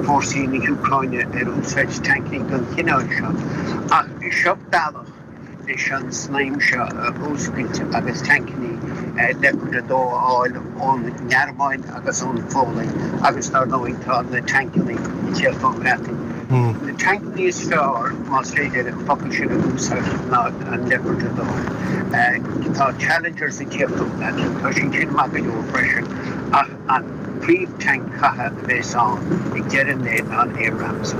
[SPEAKER 8] fórsaí na hÚcráine ar úsáid tancanna den chineál seo. Ach seo bealach leis an snaidhm seo a fhuascailt agus tancanna Leopard a dó a fháil ón nGearmáin agus ón Pholainn agus dar ndóigh tá na tancanna ag teacht ón mBreatain. Na tancanna is fearr, más féidir an focal sin a úsáid, ná an Leopard a dó. Tá Challengers ag tíocht ón mBreatain, tá siad sin maith go leor freisin, ach an príomh-tanc catha a bheas ann ag deireadh an lae ná an Abrams.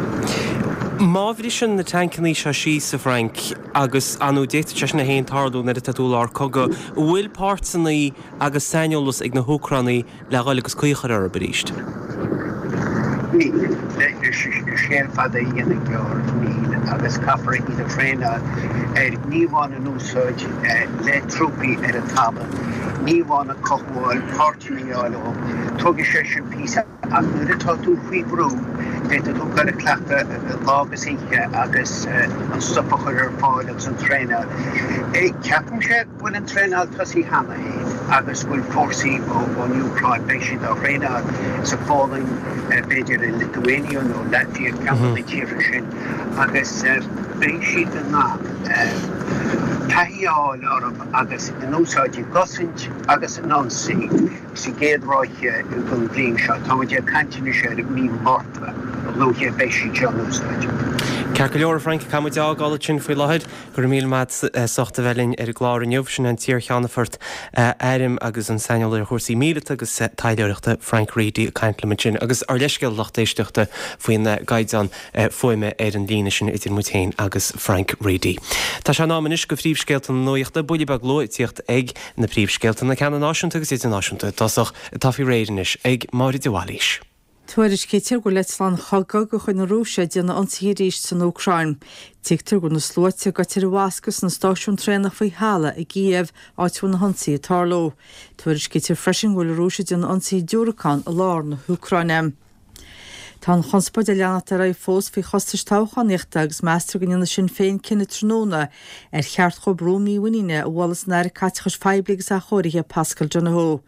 [SPEAKER 1] Má bhriseann na tancanna seo síos, a Frank, agus ar ndóigh d'fhéadfadh sé sin a fhéin tarlú nuair atá tú i lár cogadh, an bhfuil páirteanna agus saineolas ag na hÚcránaigh le dhul agus caoi a chur orthu arís?
[SPEAKER 8] Níl. Le scéal fada a dhéanamh gearr, níl, agus caithfear iad a thraenáil ar ní amháin a n-úsáid le trúpaí ar an talamh, ní amháin a cothabháil, páirteanna a fháil ó. Tógfaidh sé sin píosa ach nuair atá tú faoi bhrú, féadfaidh tú dul ag cleachtadh lá agus oíche agus an stuif a chur ar fáil agus an traenáil. Ceapaimse. go bhfuil an traenáil tosaithe cheana féin agus go bhfuil fórsaí ón Úcráin, beidh siad á thraenáil sa Pholainn, b'fhéidir i Lithuania nó Latvia, ceann de na tíortha sin, agus beidh siad in ann taithí a fháil orthu agus in úsáid i gcosaint agus in ionsaí sa gcéad ráithe den bhliain seo. Táimid ag caint anois ar mhí Márta, a luaithe a bheidh siad seo in úsáid.
[SPEAKER 1] Ceart go leor, Frank, caithfidh muid fhágáil ansin faoi láthair. Go raibh míle maith as ucht a bheith linn ar an gclár inniu. Sin an t-iar-cheannfort airm agus an saineolaí ar chúrsaí míleata agus taidhleoireachta Frank Reidy ag caint liom ansin agus ár leithscéal lucht éisteachta faoin gcaighdeán fuaime ar an líne sin idir muid féin agus Frank Reidy. Tá sé in am anois go phríomhscéalta na nuachta, buille beag luath ag tíocht ag na príomhscéalta na ceanna náisiúnta agus idirnáisiúnta i dtosach atá faoi réir anois ag Máire de Bhailís.
[SPEAKER 2] Tuairiscítear go bhfuil eitleáin chogaidh de chuid na Rúise ag déanamh ionsaithe arís san Úcráin. Tuigtear go bhfuil na sluaite goite ar a bhfoscadh sna stáisiúin traenach faoi thalamh i gCíév, áit a bhfuil na hionsaithe ag tarlú. Tuairiscítear freisin go bhfuil an Rúis ag déanamh ionsaithe diúracán i lár na hÚcráine. Tá an chonspóid ag leanacht ar aghaidh fós faoi chostais toghchánaíochta agus meastar go ndéanfaidh Sinn Féin cinneadh tráthnóna ar cheart dhóibh rún mímhuiníne a bhualadh san Aire Caiteachais Phoiblí agus Athchóirithe Paschal Donohoe.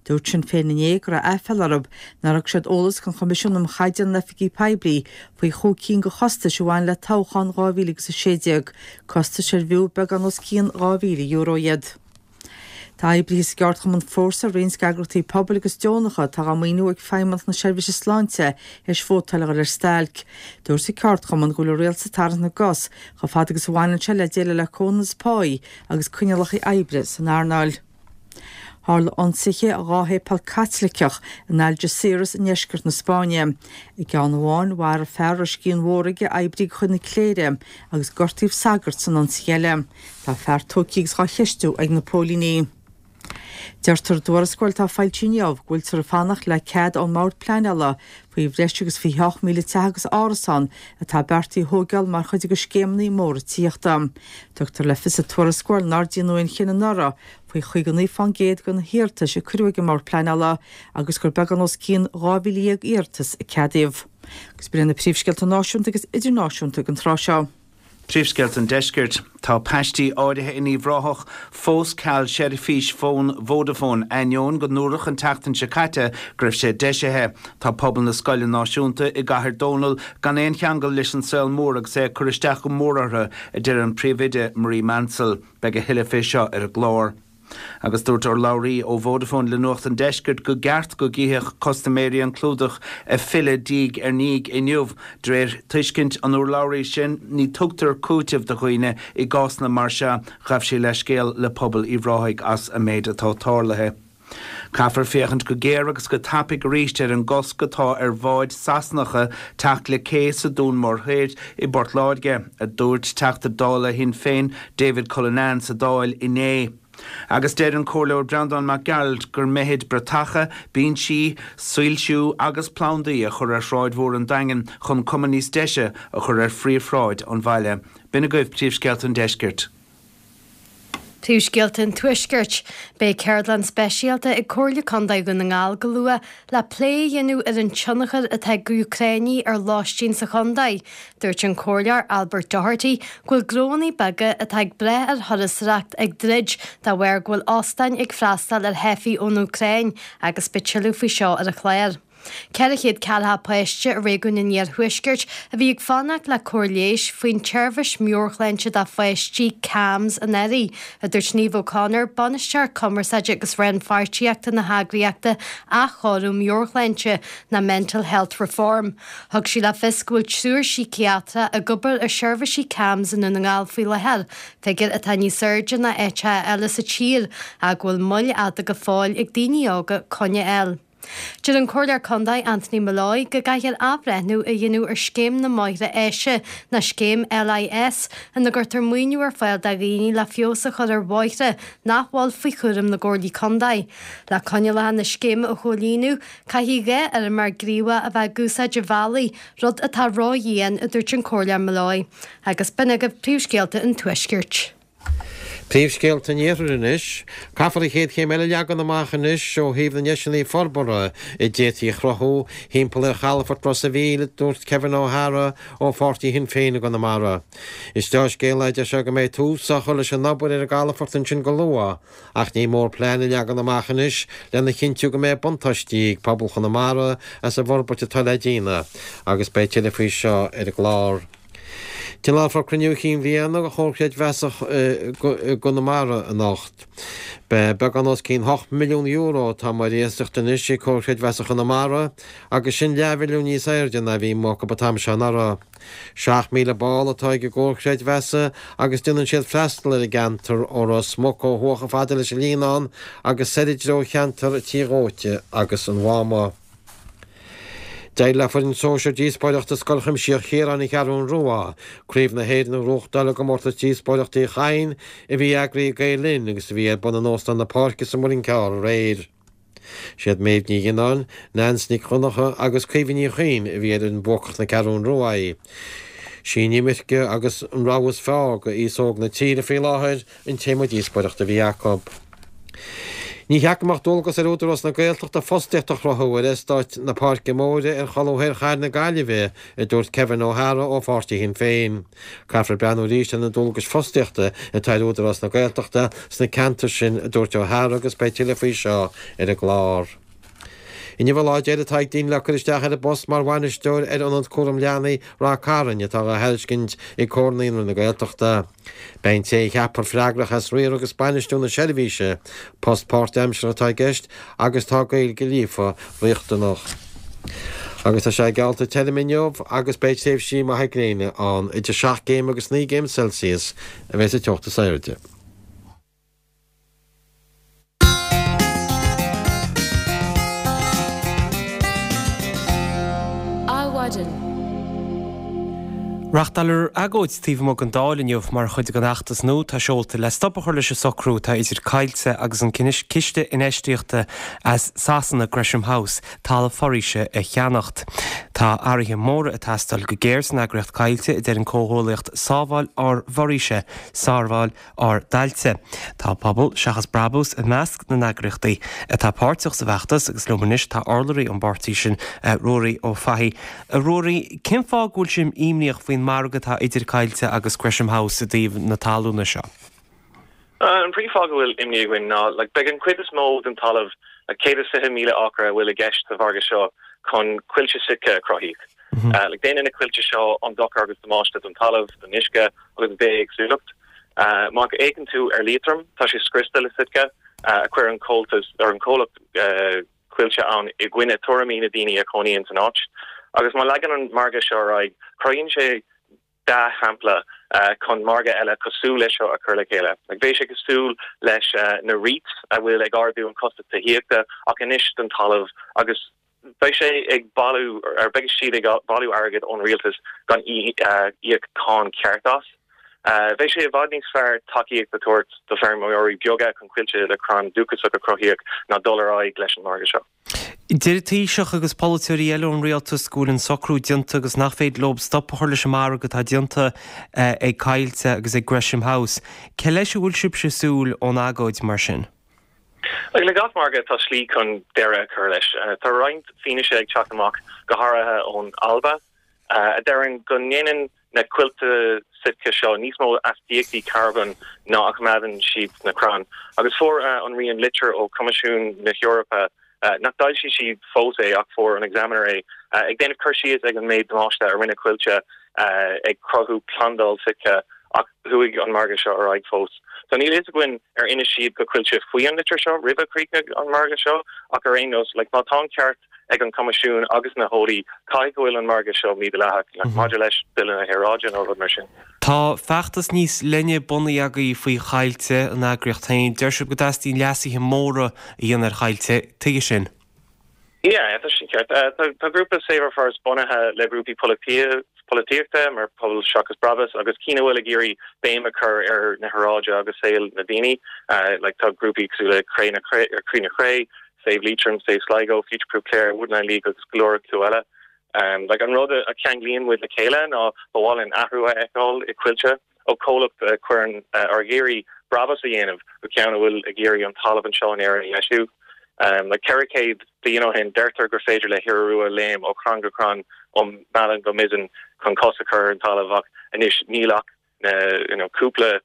[SPEAKER 2] Dúirt Sinn Féin inné go raibh aiféala orthu nár thug siad eolas don Choimisiún um Chaighdeán na nOifigí Poiblí faoi chúig cinn de chostais a bhain le toghchán dhá mhíle agus a sé déag, costais ar bhfiú beagán os cionn dhá mhíle euro iad. Tá oibrithe sa gceardchumann Fórsa, roinnt eagraíochtaí pobail agus deonacha atá á maoiniú ag Feidhmeannacht na Seirbhíse Sláinte théis vótáil a dhul ar stailc. Dúirt an ceardchumann go bhfuil an rialtas ag tarraingt na gcos chomh fada agus a bhaineann sé le déileáil le comhionannas páí agus coinníollacha oibre san earnáil. Tharla ionsaithe i dhá shéipéal Caitliceach in Algeciras i ndeisceart na Spáinne. I gceann amháin, mharaigh fear a raibh scian mhór aige oibrí de chuid na cléire agus gortaíodh sagart san ionsaí eile. Tá fear tógtha agus á cheistiú ag na póilíní. Deirtear i dtuarascáil atá foilsithe inniu go bhfuiltear ag fanacht le cead ón mBord Pleanála faoi bhreis agus fiche ocht míle teach agus árasán atá beartaithe a thógáil mar chuid de scéimeanna móra tithíochta. Tugtar le fios sa tuarascáil nár déanadh aon chinneadh anuraidh faoi chaoga naoi fán gcéad de na hiarratais a cuireadh ag an mBord Pleanála agus gur beagán os cionn dhá mhíle dhéag iarratas a ceadaíodh. Agus b'in na príomhscéalta náisiúnta agus idirnáisiúnta ag an tráth seo.
[SPEAKER 3] Príomhscéalta an Deiscirt. Tá paistí áirithe in Uíbh Ráthach fós ceal seirbhís fón Vodafone ainneoin go ndúradh an tseachtain seo caite go raibh sé deisithe. Tá pobal na scoile náisiúnta i gCathair Dónall gan aon cheangal leis an saol mór agus é ag cur isteach go mór orthu, a deir an príomhoide Marie Mansell. Beidh a thuilleadh fé seo ar an gclár. Agus dúirt urlabhraí ó Vodafone le Nuacht an Deiscirt go gceart go gcífeadh custaiméirí an clúdach ag filleadh diaidh ar ndiaidh inniu. De réir tuiscint an urlabhraí sin, ní tugtar cúiteamh do dhaoine i gcásanna mar seo. Ghabh sí leithscéal le pobal Uíbh Ráthaigh as an méid atá tarlaithe. Caithfear féachaint go géar agus go tapaidh arís ar an gcosc atá ar bháid Sasanacha teacht le cé sa Dún Mór Thoir i bPort Láirge, a dúirt Teachta Dála Shinn Féin David Cullinane sa Dáil inné. Agus deir an Comhairleoir Breandán Mac Gearailt gur mithid bratacha, binsí, soilsiú agus plandaí a chur ar Shráid Mhór an Daingin chun cuma níos deise a chur ar phríomhshráid an bhaile. B'in agaibh príomhscéalta an deiscirt.
[SPEAKER 4] Príomhscéalta an Tuaiscirt. Beidh ceardlann speisialta ag Comhairle Contae Dhún na nGall go luath le plé a dhéanamh ar an tionchar atá ag Úcráinigh ar lóistín sa chontae. Dúirt an Comhairleoir Albert Doherty go bhfuil gnónna beaga atá ag brath ar thurasóireacht ag druid de bharr go bhfuil óstáin ag freastal ar theifigh ón Úcráin agus beidh tuilleadh faoi seo ar an chlár. Ceithre chéad ceathracha páiste i réigiún an Iarthuaiscirt a bhí ag fanacht le cóir leighis faoin tseirbhís meabhairshláinte do pháistí CAMHS anuraidh, a dúirt Niamh O'Connor, Bainisteoir Cumarsáide agus Rannpháirtíochta na heagraíochta Athchóiriú Meabhairshláinte ná Mental Health Reform. Thug sí le fios go bhfuil triúr síciatrach ag obair i seirbhísí CAMHS i nDún na nGall faoi láthair, figiúr atá níos airde ná áiteacha eile sa tír ach go bhfuil moill fhada go fóill ag daoine óga coinne a fháil. Deir an Comhairleoir Contae Anthony Molloy go gcaithfear athbhreithniú a dhéanamh ar Scéim na mBóithre Áise ná Scéim LIS ina gcuirtear maoiniú ar fáil do dhaoine le feabhas a chur ar bhóithre nach bhfuil faoi chúram na gComhairlí Contae. Le coinníollacha na scéime a chomhlíonadh, caithfidh dhá fheirmeoir gníomhach a bheith ag úsáid an bhealaigh, rud atá ródhian, a dúirt an Comhairleoir Molloy. Agus b'in agaibh príomhscéalta an Tuaiscirt.
[SPEAKER 5] Príomhscéalta an Iarthair anois. Caithfear an chéad chéim eile a leagan amach anois ó thaobh na ndeiseanna forbartha a d'fhéadfaí a chruthú thimpeall ar chalafort Ros a' Mhíl, a dúirt Kevin O'Hara ó pháirtí Shinn Féin i gConamara. Is dea-scéala é, a deir sé, go mbeidh tús á chur leis an obair ar an gcalafort ansin go luath ach ní mór plean a leagan amach anois lena chinntiú go mbeidh buntáistí ag pobal Chonamara as an bhforbairt atá le déanamh agus beidh tuilleadh faoi seo ar an gclár. Tionólfar Cruinniú Chinn Bhliana de Chomhar Creidmheasa i gConamara anocht. Beidh beagán os cionn hocht milliún euro atá mar iasacht anois ag Comhar Creidmheasa Chonamara agus sin leathmhilliún níos airde ná a bhí acu an t-am seo anuraidh. Seacht míle ball atá ag an gComhar Creidmheasa agus déanann siad freastal ar an gceantar ó Ros Muc ó thuaidh chomh fada leis an Líonán agus soir i dtreo cheantar Tí Dhóite agus an Mháma. D'éirigh le foireann sóisir díospóireachta Scoil Chuimsitheach Chiaráin an Cheathrún Rua, Craobh na hÉireann a ghnóthachtáil i gcomórtas Díospóireachta Uí Chadhain a bhí eagraithe ag Gael Linn agus a bhí ar bun in Óstán na Páirce sa Muileann Cearr aréir. Siad Méabh Ní Ghionnáin, Nance Nic Dhonncha agus Caoimhe Ní Chuinn a bhí ar fhoireann buacach na Ceathrún Rua. Sí an imirce agus an rogha is fearr do aos óg na tíre faoi láthair an téama díospóireachta a bhí acu. Ní cheart go mbeadh dualgas ar Údarás na Gaeltachta fostaíocht a chruthú ar eastát na Páirce Móire ar cholbha thoir chathair na Gaillimhe, a dúirt Kevin O'Hara ó pháirtí Shinn Féin. Caithfear breathnú arís ar na dualgais fostaíochta atá ar Údarás na Gaeltachta sna ceantair sin, a dúirt O'Hara agus beidh tuilleadh faoi seo ar an gclár. Inniu an lá deiridh atá ag daoine le cur isteach ar an bpost mar bhainisteoir ar Ionad Cúram Leanaí Ráth Cairn atá á thairiscint ag Comhar Naíonraí na Gaeltachta. Beidh an té a cheapfar freagrach as riar agus bainistiú na seirbhíse. Post páirtaimseartha atá i gceist agus tá Gaeilge líofa riachtanach. Agus tá sé geallta tirim inniu agus beidh tréimhsí maithe gréine ann, idir seacht gcéim agus naoi gcéim Celsius a bheidh sa teocht is airde.
[SPEAKER 1] Adhmhaidin. Reáchtálar agóid taobh amuigh den Dáil inniu mar chuid den fheachtas nua atá seolta le stop a chur leis an socrú atá idir Coillte agus an ciste infheistíochta as Sasana, Gresham House, talamh foraoise a cheannacht. Tá athruithe móra ag teastáil go géar san eagraíocht Coillte, a deir an comhghuaillíocht Sábháil ár bhForaoise, Sábháil ár dTailte. Tá Pobal Seachas Brabús i measc na n-eagraíochtaí atá páirteach sa bhfeachtas agus liom anois tá urlabhraí ón bpáirtí sin, Ruairí Ó Fathaigh. A Ruairí, cén fáth go bhfuil sibh imníoch faoin margadh atá idir Coillte agus Gresham House i dtaobh na talúna seo?
[SPEAKER 9] An príomhfháth go bhfuil imní againn ná like beidh an chuid is mó den talamh, like céad is fiche míle acra a bhfuil i gceist sa mhargadh seo chun coillte Sitka a cruthaíodh. Like déanann na coillte seo an dochar agus damáiste don talamh, don uisce agus don bhithéagsúlacht. Má fhéachann tú ar Liatroim, tá sé scriosta le Sitka, a chuir an comhaltas or an comhlacht coillte ann i gcoinne tuairimí na daoine a chónaíonn san áit. Agus má leagann an margadh seo ar aghaidh, cruthaíonn sé dea-shampla chun margadh eile cosúil leis seo a chur le chéile. Like bheadh sé cosúil leis na REITs a bhfuil ag ardú an costas tithíochta ach anois don talamh agus beidh sé ag bailiú ar beidh siad ag bailiú airgead ón rialtas gan íoc cáin ceart as. Bheadh sé i bhfad níos fearr tacaíocht a tabhairt do feirmeoirí beaga chun coillte le crann dúchasach a cruthaíodh ná dul ar aghaidh leis an margadh seo.
[SPEAKER 1] Deir an Taoiseach agus polaiteoirí eile ón rialtas go bhfuil an socrú déanta agus nach féidir leo stop a chur leis an margadh atá déanta ag Coillte agus ag Gresham House. Cé leis a bhfuil sibhse ag súil ón agóid mar sin?
[SPEAKER 9] Le gach margadh tá slí chun deireadh a chur leis. Tá roinnt fianaise ag teacht amach, go háirithe ón Alba, a deireann go ndéanann na coillte Sitka seo níos mó astaíochtaí carbóin ná a choimeádann siad sna crainn. Agus fuair an Rian litir ó Choimisiún na hEorpa, nach d'fhoilsigh siad fós é ach fuair an Examiner é, ag déanamh cur síos ag an méid damáiste a rinne coillte ag cruthú plandáil Sitka ach chuaigh an margadh seo ar aghaidh fós. So níl fhios againn ar inis siad go Coillte faoi an litir seo roimh a chríochnaigh an margadh seo ach ar aon nós, like, má tá an ceart ag an Coimisiún agus na heolaí, caithfidh go bhfuil an margadh seo mídhleathach, like, maidir leis Bille na hAeráide nó rud mar sin.
[SPEAKER 1] Tá feachtas níos leithne bunaithe agaibh faoi Choillte, an eagraíocht féin. Deir sibh go dteastaíonn leasuithe móra a dhéanamh ar Choillte. Tuige sin?
[SPEAKER 9] Yeah, tá sin ceart. Tá grúpa Save Our Forests bunaithe le grúpaí polaitíochta mar Pobal Seachas Brabús agus cinn a bhfuil ag iarraidh béim a chur ar na haeráide agus saol na daoine. Like tá grúpaí cosúil le Cré na Croí na Cré, Save Leitrim, Save Sligo, Future Proof Clare, Woodland League agus go leor acu eile. Like an rud a cheanglaíonn muid le chéile ná ba mhaith linn athrú a fheiceáil i Coillte. Ó comhlacht a chuireann ag iarraidh brabús a dhéanamh go ceann a bhfuil ag iarraidh an talamh anseo in Éirinn a dheisiú. Like ceithre chéad bliain ó shin, deirtear gur féidir le hiora rua léim ó chrann go crann ó Mheallann go Mizen chun cos a chur ar an talamh ach anois níl ach na you know cúpla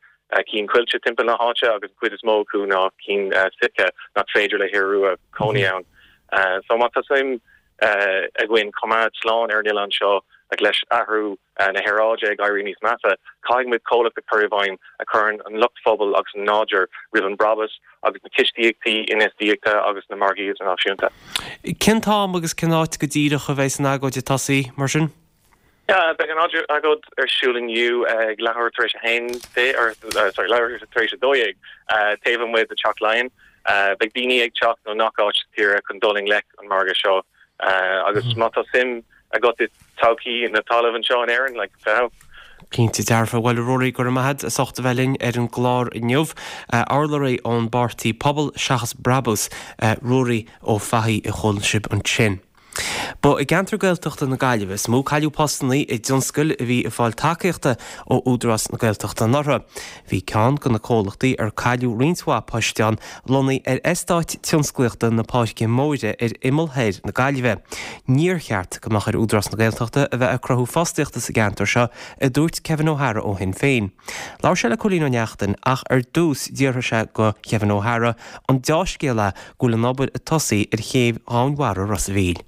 [SPEAKER 9] cinn coillte timpeall na háite agus an chuid is mó acu ná cinn Sitka nach féidir le hiora rua cónaí ann. So má tá suim againn coimeád slán ar an oileán seo Like leis athrú na haeráide ag éirí níos measa, caithfidh muid comhlacht a chur i bhfeidhm a chuireann an lucht phobail agus an nádúr roimh an brabús agus na cistíochtaí infheistíochta agus na margaí idirnáisiúnta.
[SPEAKER 1] Cén t-am agus cén áit go díreach a bheidh an agóid ag tosaí, mar sin?
[SPEAKER 9] Yeah, beidh an agóid ar siúl inniu ag leathuair tar éis a haon or sorry, leathuair tar éis a dó dhéag taobh amuigh de Teach Laighean. Beidh daoine ag teacht ó ngach áit sa tír chun dul i ngleic an margadh seo agus má tá suim agat i todhchaí na talamh anseo in Éirinn, like, fiche.
[SPEAKER 1] Cinnte dearfa. Bhuel, a Ruairí, go raibh maith agat as ucht a bheith linn ar an gclár inniu. Urlabhraí ón bpáirtí Pobal Seachas Brabús, Ruairí Ó Fathaigh a chuala sibh ansin. Ba i gceantar Gaeltachta na Gaillimhe is mó cailleadh postanna i dtionscail a bhí ag fáil tacaíochta ó Údarás na Gaeltachta anuraidh. Bhí ceann de na comhlachtaí ar cailleadh roinnt mhaith poist ann lonnaithe ar eastát tionsclaíochta na Páirce Móire ar imeall thoir na Gaillimhe. Níor cheart go mbeadh ar Údarás na Gaeltachta a bheith ag cruthú fostaíochta sa gceantar seo, a dúirt Kevin O'Hara ó Shinn Féin. Labhair sé le Cóilín Ó Neachtain ach ar dtús d'fhiafraigh sé de Kevin O'Hara an deá-scéal é go bhfuil an obair ag tosaí ar chéibh dhomhainmhara Ros a' Mhíl.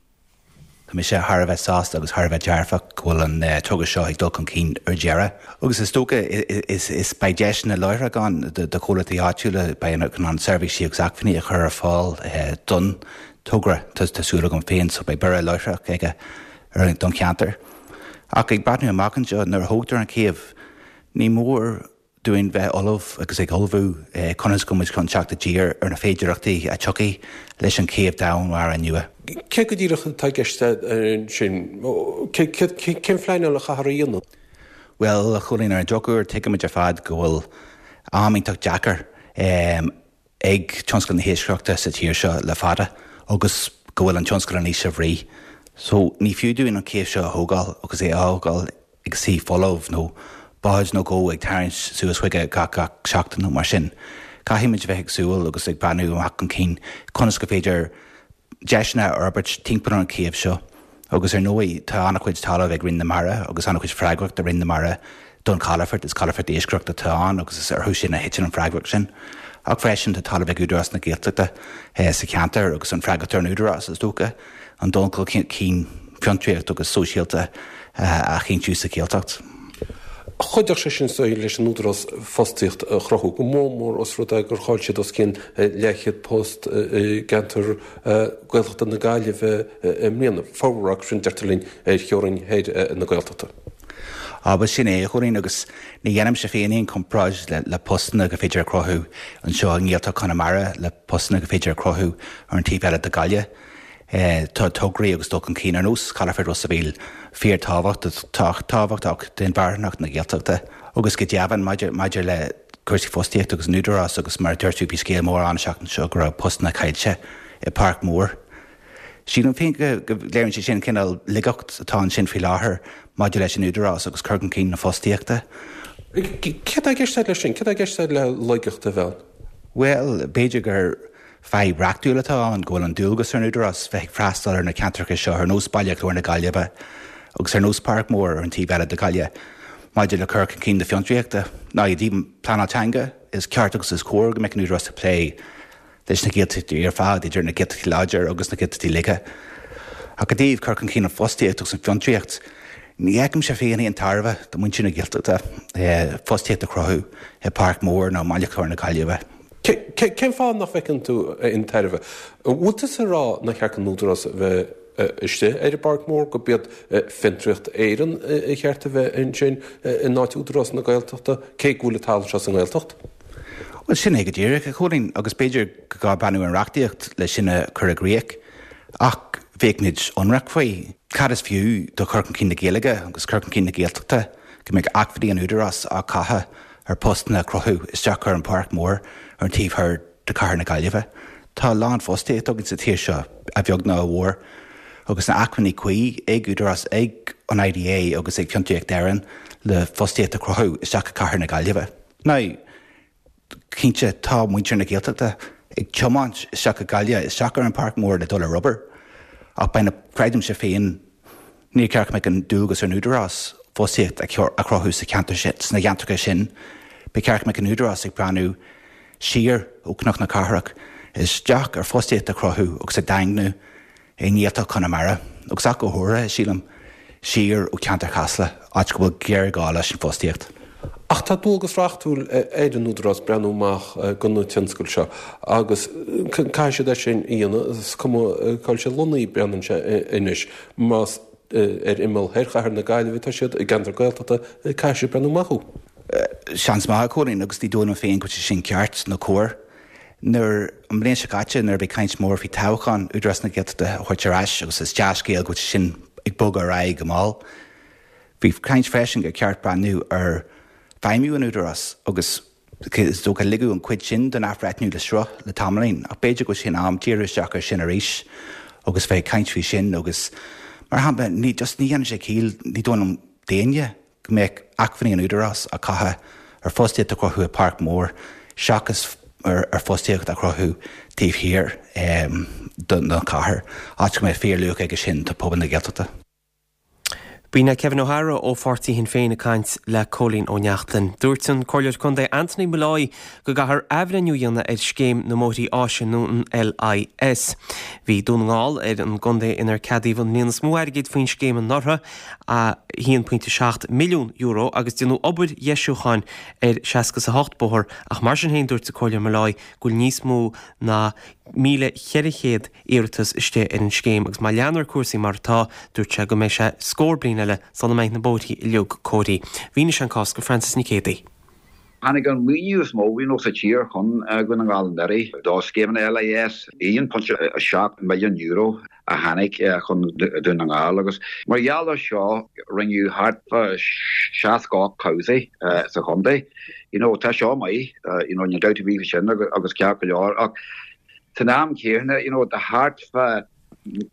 [SPEAKER 10] Tá mise thar a bheith sásta agus thar a bheith dearfach go bhfuil an togra seo ag dul chun cinn ar deireadh. Agus is dócha is is beidh deiseanna láithreach ann do chomhlachtaí áitiúla, beidh in ann seirbhísí agus acmhainní a chur ar fáil don togra, tá súil agam féin, so beidh borradh láithreach aige don cheantar. Ach ag breathnú amach anseo, nuair a thógtar an chéibh, ní mór dúinn bheith ullamh agus ag ullmhú conas go muid chun teacht i dtír ar na féidearthachtaí a tiocfaidh leis an chéibh domhainmhara nua.
[SPEAKER 11] Cé go díreach atá i gceist ansin? Cén phleanáil a chaithfear a dhéanamh?
[SPEAKER 10] Bhuel, a Chóilín, ar an drochuair, tuigimid ar fad go bhfuil am iontach deacair ag tionscal na hiascaireachta sa tír seo le fada agus go bhfuil an tionscal in ísle bhrí. So, ní fiú dúinn an chéibh seo a thógáil agus é a fhágáil ag suí folamh nó bád nó dhó ag tarraingt suas chuige gach gach seachtain nó mar sin. Caithfimid bheith ag súil agus ag breathnú amach chun cinn conas go féidir deiseanna a fhorbairt timpeall ar an chéibh seo. Agus ar ndóigh tá an-chuid talamh ag Roinn na Mara agus an-chuid freagracht ag Roinn na Mara don chalafort, is calafort iascaireachta atá ann agus is orthu sin a thiteann an freagracht sin. Ach freisin tá talamh ag Údarás na Gaeltachta sa cheantar agus an freagracht ar an Údarás, is dócha, an dul chun cinn fiontraíocht agus sóisialta a chinntiú sa Ghaeltacht.
[SPEAKER 11] Chuideodh sé sin so leis an Údarás fostaíocht a chruthú, go mór mór os rud é gur chaill siad os cionn leathchéad post i gceantar Gaeltachta na Gaillimhe i mbliana, formhór acu sin, deirtear linn, ar theorainn thoir na Gaeltachta.
[SPEAKER 10] Á, bhuel sin é, a Chóilín, agus ní dhéanaimse féin aon chomparáid le postanna gur féidir a chruthú anseo i nGaeltacht Chonamara le postanna gur féidir a chruthú ar an taobh eile de Ghaillimh. Tá tograí agus dul chun cinn ar nós Chalafort Ros a' Mhíl fíorthábhachtach d'inmharthanacht na Gaeltachta agus go deimhin maidir le cúrsaí fostaíochta agus an Údarás agus mar a dúirt tú bhí scéal mór ann an tseachtain seo go raibh postanna caillte i bPáirc Mhór. Sílim féin go léiríonn sé sin cineál laigeacht atá ansin faoi láthair maidir leis an Údarás agus cur chun cinn na fostaíochta.
[SPEAKER 11] Céard atá i gceist agat leis sin? Céard atá i gceist agat le laigeacht a bheith ann?
[SPEAKER 10] Bhuel, b'fhéidir gur Fadhb reachtúil atá ann go bhfuil an dualgas ar an Údarás bheith ag freastal ar na ceantracha seo ar nós Baile Chláir na Gaillimhe agus ar nós Páirc Mhór ar an taobh eile de Ghaillimh maidir le cur chun cinn na fiontraíochta. Now i dtaobh pleanáil teanga, is ceart agus is cóir go mbeadh an Údarás ag plé leis na Gaeltachtaí ar fad, idir na Gaeltachtaí láidir agus na Gaeltachtaí laga. Ach i dtaobh cur chun cinn an fostaíocht agus an fiontraíocht, ní fheicimse féin aon tairbhe do mhuintir na Gaeltachta fostaíocht a chruthú i bPáirc Mhór nó i mBaile Chláir na Gaillimhe.
[SPEAKER 11] Cén fáth nach bhfeiceann tú aon tairbhe? An bhfuil tusa ag rá nár cheart don Údarás a bheith istigh ar an bPáirc Mhór, gurb iad Fiontraíocht Éireann a cheart a bheith ansin in áit Údarás na Gaeltachta, cé go bhfuil an talamh seo sa nGaeltacht?
[SPEAKER 10] Bhuel, sin é go díreach, a Chóilín, agus b'fhéidir gur gá breathnú ar an reachtaíocht le sin a chur i gcrích, ach bheadh muid ionraic faoi. Cad is fiú do chur chun cinn na Gaeilge agus cur chun cinn na Gaeltachta go mbeadh acmhainní an Údaráis á gcaitheamh ar postanna a chruthú isteach ar an Pháirc Mhór ar an taobh thoir de chathair na Gaillimhe. Tá a lán fostaíocht againn sa tír seo, a bheag nó a mhór, agus na acmhainní cuí ag Údarás, ag an IDA agus ag Fiontraíocht Éireann le fostaíocht a chruthú isteach i cathair na Gaillimhe. Now, cinnte, tá muintir na Gaeltachta ag tiomáint isteach go Gaillimh, isteach ar an Pháirc Mhór le dul ar obair, ach beidh na, creidimse féin, Níor cheart go mbeadh an dualgas ar an Údarás fostaíocht a chruthú sa cheantar sin, sna ceantracha sin. Ba cheart go mbeadh an Údarás ag breathnú siar ó Chnoc na Cathrach isteach ar fostaíocht a chruthú agus a dhaingniú i nGaeltacht Chonamara agus ach go háirithe, sílim, siar ó cheantar Chasla, áit go bhfuil géarghá leis an bhfostaíocht.
[SPEAKER 11] Ach tá dualgas reachtúil ar an Údarás breathnú amach do na tionscail seo agus caithfidh siad é sin a dhéanamh, is cuma cá bhfuil sé lonnaithe, breathnaíonn sé anois, más ar imeall thoir chathair na Gaillimhe atá siad, i gceantar Gaeltachta, caithfidh siad breathnú amach dó.
[SPEAKER 10] Seans maith, a Chóilín, agus ní dóigh liom féin go bhfuil sé sin ceart nó cóir. Nuair, an bhliain seo caite, nuair a bhí caint mór faoi toghchán Údarás na Gaeltachta a thabhairt ar ais, agus is dea-scéal go bhfuil sé sin ag bogadh ar aghaidh go mall, bhí caint freisin gur ceart breathnú ar feidhmiú an Údarás agus is dócha ligeadh an chuid sin den athbhreithniú le sruth le tamaillín, ach b'fhéidir go bhfuil sé in am díriú isteach air sin arís agus bheith ag caint faoi sin agus, mar shampla, ní, just ní dhéanann sé ciall, ní dóigh liom d'éinne, go mbeadh acmhainní an Údarás á caitheamh ar fostaíocht a chruthú i Páirc Mór seachas ar fostaíocht a chruthú taobh thiar den chathair, áit go mbeadh fíorluach aige sin do phobal na Gaeltachta.
[SPEAKER 1] B'in é Kevin O'Hara ó pháirtí Shinn Féin ag caint le Cóilín Ó Neachtain. Dúirt an Comhairleoir Contae Anthony Molloy go gcaithfear athbhreithniú a dhéanamh ar scéim na mbóithrí áise nó an LIS. Bhí Dún na nGall ar an gcontae inar ceadaíodh an líon is mó airgid faoin scéim anuraidh, a haon pointe seacht milliún euro, agus déanadh obair dheisiúcháin ar seasca is a hocht bóthar ach mar sin féin dúirt an Comhairleoir Molloy go bhfuil níos mó ná míle cheithre chéad iarratas istigh ar an scéim agus má leanfar cúrsaí mar atá, dúirt sé go mbeidh sé scór bliain eile sula mbeidh na bóithrí uilig cóirithe. Mhínigh sé an cás go Francis Nic Géadaigh.
[SPEAKER 12] Tháinig an maoiniú is mó you know sa tír chun Dhún na nGall anuraidh do scéimeanna LIS, aon pointe a seacht milliún euro a tháinig chun Dún na nGall agus mar gheall ar seo rinneadh thart fá seasca ocht cabhsaí sa chontae. You know tá seo maith, you know níl dabht ar bith faoi sin agus ceart go leor ach san am céanna you know tá thart fá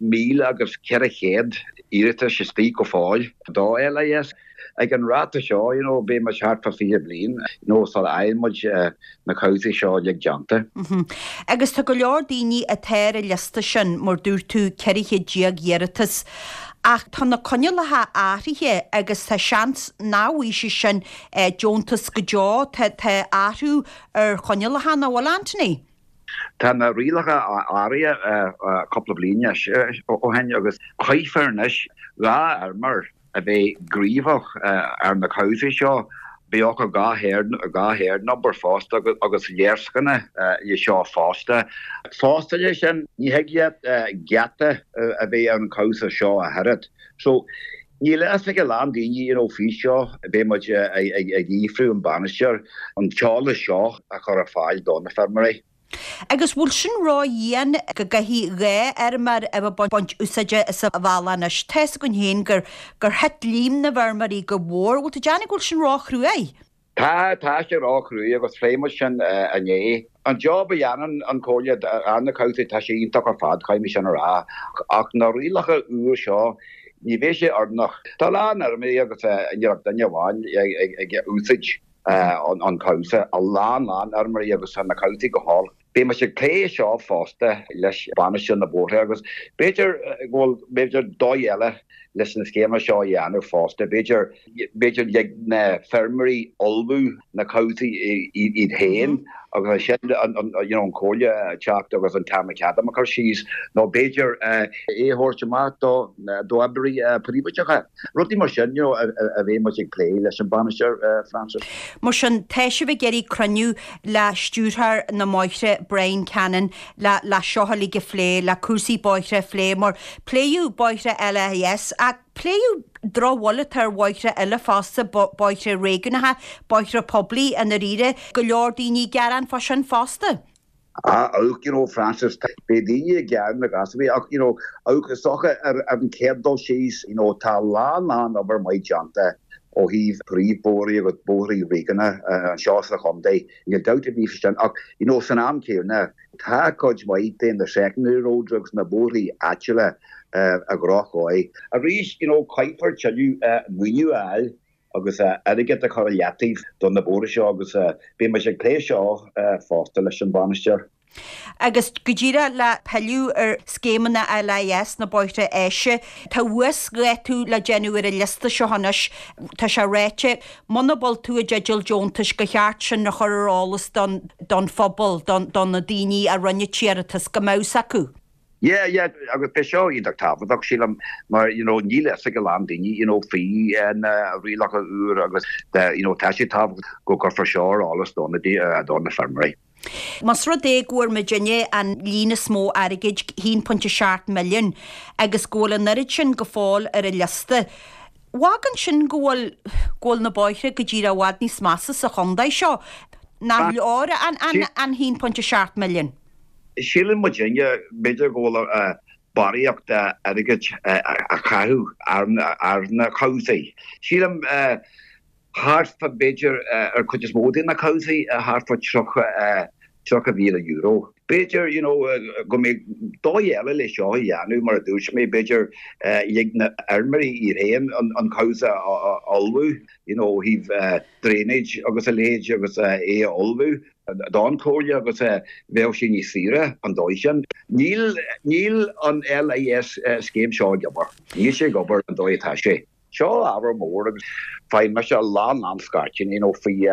[SPEAKER 12] míle agus ceithre chéad iarratas istigh go fóill do LIS. Ag an ráta seo, you know, beidh muid thart fá fiche bliain, you know, sula fhaigheann muid na cabhsaí seo uilig déanta.
[SPEAKER 13] Agus tá go leor daoine atá ar an liosta sin, mar dúirt tú, ceithre chéad déag iarratas. Ach tá na coinníollacha athraithe agus tá seans nach bhfaighidh siad sin deontas go deo. Tá tá athrú ar choinníollacha, nach bhfuil, Anthony?
[SPEAKER 12] Tá na rialacha athraithe cúpla bliain ó shin agus caithfear anois dhá fheirmeoir a bheith gníomhach ar na cabhsaí seo, bheith acu dhá herd number fosta agus léarscáileanna le seo fosta. Fosta leis sin, ní thig leat geata a bheith ar an chabhsa seo a oiread. So, níl a fhios ag a lán daoine you know faoi seo, beidh muid ag fhiafrú an bainisteoir an t-eolas seo a chur ar fáil do na feirmeoirí.
[SPEAKER 13] Agus bhfuil sin ró-dhian go gcaithfidh dhá fheirmeoir a bheith ag baint úsáide as an bhealach anois? Tá 'fhios againn féin gur gur thit líon na bhfeirmeoirí go mór. Bhfuil tú ag déanamh go bhfuil sin ró-chruaidh?
[SPEAKER 12] Tá, tá sé ró-chruaidh agus phléigh muid sin inné. An job a dhéanann an Chomhairle ar na cabhsaí, tá sé iontach ar fad, caithfidh mé sin a rá. Ach na rialacha úr seo, ní bheidh sé oiriúnach. Tá a lán fheirmeoirí agus níl ach duine amháin ag úsáid an cabhsa, a lán lán fheirmeoirí agus tá na cabhsaí go holc. Beidh muid ag plé seo fosta leis bainisteoir na bóithre agus b'fhéidir go bhfuil b'fhéidir dóigh eile leis na scéimeanna seo a dhéanamh fosta. B'fhéidir b'fhéidir lig na feirmeoirí ullmhú na cabhsaí iad féin agus ansin an you know an Chomhairle teacht agus an tarmacadam a chur síos nó b'fhéidir é a thabhairt amach do d'oibrí príobháideacha. Rudaí mar sin you know a bheidh muid ag plé leis an bainisteoir Francis.
[SPEAKER 13] Mar sin, tá sibh ag iarraidh cruinniú le Stiúrthóir na mBóithre Brian Cannon le le seo uilig a phlé, le cúrsaí bóithre a phlé, mar pléadh bóithre LIS ach pléadh drochbhail atá ar bhóithre eile fosta, bóithre réigiúnacha, bóithre poiblí i ndáiríre, go leor daoine ag gearán fá sin fosta.
[SPEAKER 12] Ah, ach, you know, Francis, beidh daoine ag gearán na gasúir ach, you know, ach is dócha ar an chéad dul síos, you know, tá a lán lán obair maith déanta ó thaobh príomhbhóithrí agus bóithrí réigiúnacha anseo sa chontae, níl dabht ar bith faoi sin, ach, you know, san am céanna, tá cuid mhaith de na secondary roads agus na bóithrí áitiúla i ndrochdhóigh. Arís, you know, caithfear tuilleadh maoiniú a fháil agus airgead a chur i leataobh do na bóithre seo agus beidh muid ag plé seo fosta leis an bhainisteoir.
[SPEAKER 13] Agus go díreach le pilleadh ar scéimeanna LIS, na bóithre áise, tá uasdhátú le déanamh ar an liosta seo anois. Tá sé ráite, muna bhfuil tú i dteideal deontais, gur cheart sin a chur ar eolas don phobal, do na daoine a rinne an t-iarratas, go mbeadh 'fhios acu.
[SPEAKER 12] Yeah, yeah, agus beidh seo iontach tábhachtach sílim mar you know níl fhios ag a lán daoine you know faoi na rialacha úr agus you know tá sé tábhachtach go gcuirfear seo ar eolas do na do na feirmeoirí.
[SPEAKER 13] Más rud é go bhfuair muidinne an líon is mó airgid, haon pointe seacht milliún, agus go bhfuil an oiread sin go fóill ar an liosta, fágann sin go bhfuil go bhfuil na bóithre go díreach i bhfad níos measa sa chontae seo. Nach leor an an haon pointe seacht milliún?
[SPEAKER 12] Síleann muidinne b'fhéidir go bhfuil barraíocht airgid a chaitheamh ar na cabhsaí. Sílim thart fá b'fhéidir ar chuid is mó de na cabhsaí thart fá tríocha mhíle euro. B'fhéidir you know go mbeadh dóigh eile le seo a dhéanamh mar a dúirt mé b'fhéidir lig na feirmeoirí iad féin an cabhsa a ullmhú you know ó thaobh drainage agus a leithéid agus é a ullmhú don chomhairle agus bheadh sé níos saoire an dóigh sin. Níl níl an LIS scéim seo ag obair. Níl sé ag obair an dóigh atá sé. Seo ábhar mór agus faigheann mise a lán lán scairteanna you know faoi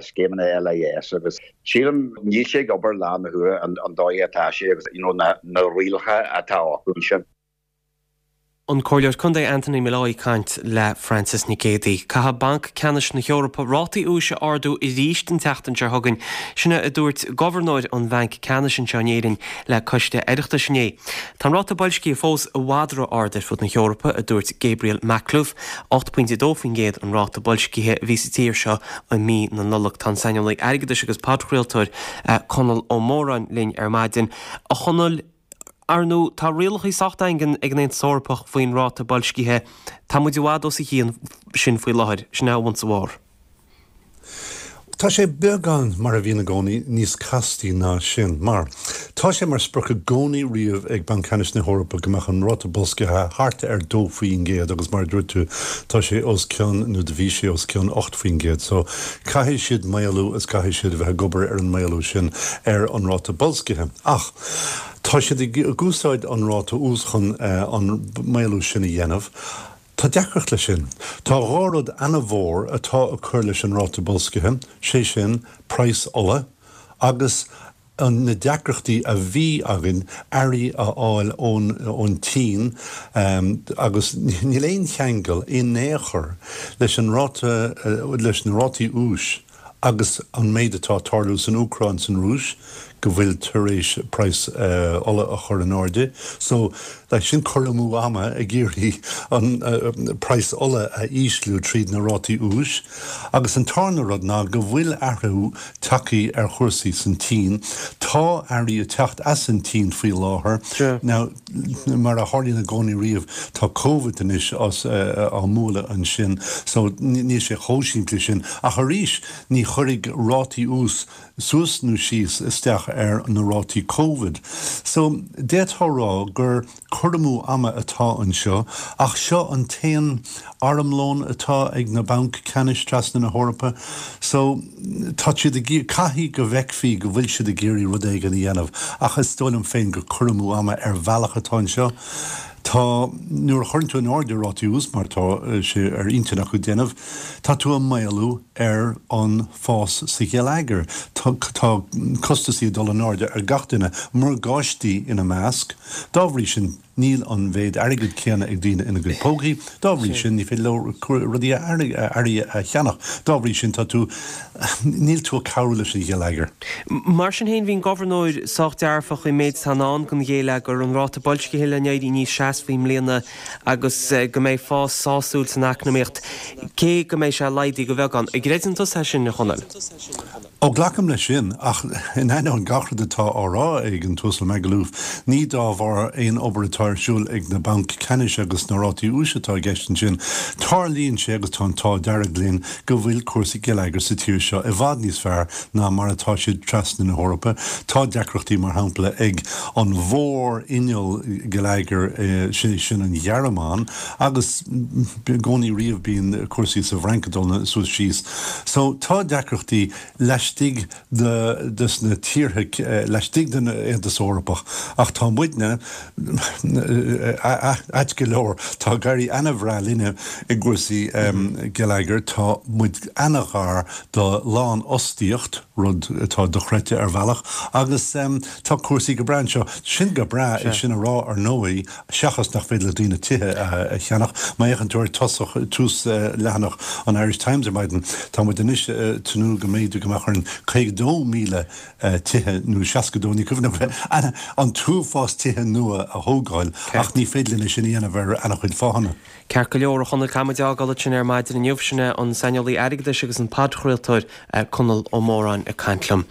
[SPEAKER 12] scéimeanna LIS agus sílim níl sé ag obair lá na huaire an dóigh atá sé agus you know na na rialacha atá acu ansin.
[SPEAKER 1] An Comhairleoir Contae Anthony Molloy ag caint le Frances Nic Géadaigh. Caithfidh Banc Ceannais na hEorpa rátaí úis a ardú arís an tseachtain seo chugainn. Sin a dúirt Gobharnóir an Bhainc Ceannais anseo in Éirinn le Coiste Oireachtais inné. Tá an ráta boilscithe fós i bhfad ró-ard ar fud na hEorpa, a dúirt Gabriel Makhlouf. ocht pointe a dó faoin gcéad an ráta boilscithe a bhí sa tír seo i mí na Nollag. Tá an saineolaí airgeadais agus podchraoltóir Conall Ó Móráin linn ar maidin. A Chonaill, Ar ndóigh, tá rialacha sách daingean ag an Aontas Eorpach faoin ráta boilscithe. Tá muid i bhfad os a chionn sin faoi láthair. Sin é once a mhór.
[SPEAKER 14] Tá sé beagán, mar a bhíonn i gcónaí, níos castaí ná sin, mar tá sé mar sprioc i gcónaí riamh ag Banc Ceannais na hEorpa go mbeadh an ráta boilscithe thart ar dó faoin gcéad agus mar a dúirt tú, tá sé os cionn, nó do bhí sé os cionn ocht faoin gcéad. So, caithfidh siad maolú is caithfidh siad a bheith ag obair ar an maolú sin ar an ráta boilscithe. Ach. Tá siad ag úsáid an ráta úis chun an maolú sin a dhéanamh. Tá deacracht leis sin. Tá dhá rud ana-mhór atá ag cur leis an ráta boilscithe, sé sin, praghas ola agus na deacrachtaí a bhí againn earraí a fháil ón tSín agus níl aon cheangal in aon chor leis an ráta, leis na rátaí úis agus an méid atá ag tarlú san Úcráin, san Rúis, go bhfuil tar éis praghas ola a chur in airde. So, like, sin cur amú ama ag iarraidh an praghas ola a ísliú tríd na rátaí úis. Agus an tarna rud ná go bhfuil athrú tagtha ar chúrsaí san tSín. Tá earraí ag teacht as an tSín faoi láthair. Now, mar a tharlaíonn i gcónaí riamh, tá Covid anois á mbualadh ansin, so níl sé chomh simplí sin. Ach arís, ní chuirfidh rátaí ús suas nó síos isteach ar na rátaí Covid. So, d'fhéadfá a rá gur cur amú ama atá anseo, ach seo an t-aon armlón atá ag na bainc ceannais trasna na hEorpa. So, tá siad ag, caithfidh go bhfeicfí go bhfuil siad ag iarraidh rud éigin a dhéanamh, ach is dóigh liom féin gur cur amú ama ar bhealach atá anseo. Tá, nuair a chuireann tú in airde rátaí ús, mar atá sé ar intinn acu déanamh, tá tú ag maolú ar an fás sa gheilleagar. Tá costasaí ag dul in airde ar gach duine, morgáistí ina measc. Dá bhrí sin, Níl an mhéid airgid céanna ag daoine ina gcuid pócaí, dá bhrí sin ní féidir leo rudaí earraí a cheannach. Dá bhrí sin tá tú, níl tú ag cabhrú leis an gheilleagar.
[SPEAKER 1] Mar sin féin bhí an Gobharnóir sách dearfach faoin méid atá i ndán don gheilleagar, an ráta boilscithe le n-éirí níos seasmhaí i mbliana agus go mbeidh fás sásúil san eacnamaíocht, cé go mbeidh sé laghdaithe de bheagán. An gcreideann tusa é sin, a Chonaill?
[SPEAKER 14] Ó, glacaim leis sin, ach in ainneoin gach rud atá á rá ag an tUasal Makhlouf, ní dá bharr aon obair atá ar siúl ag na bainc ceannais agus na rátaí úis atá i gceist ansin. Tarlaíonn sé, agus tá an t-ádh dearg linn, go bhfuil cúrsaí geilleagair sa tír seo i bhfad níos fearr ná mar atá siad trasna na hEorpa. Tá deacrachtaí, mar shampla, ag an mhór-inneall geilleagair, sé sin an Ghearmáin, agus i gcónaí riamh bíonn cúrsaí sa bhFrainc ag dul suas síos. So, tá deacrachtaí. laistigh de des na tíortha laistigh den Aontas Eorpach ach tá muidne ait go leor tá ag éirí an-bhreá linne i gcúrsaí geilleagair tá muid an-ghar do lánfhostaíocht rud atá dochreidte ar bhealach agus tá cúrsaí go breá anseo. Sin go breá é sin a rá ar ndóigh seachas nach féidir le daoine tithe a cheannach. Má fhéachann tú ar tosach tús leathanach an Irish Times ar maidin tá muid anois tnúth go mb'fhéidir go mbeadh orainn caoga dó míle tithe nó seasca dó ní cuimhin liom an t-uafás tithe nua a thógáil ach ní féidir linn é sin a dhéanamh ar an-chuid fáthanna.
[SPEAKER 1] Ceart go leor, a Chonaill, caithfidh muid é a fhágáil ansin ar maidin inniu. Sin é an saineolaí airgeadais agus an podchraoltóir Conall Ó Móráin ag caint liom.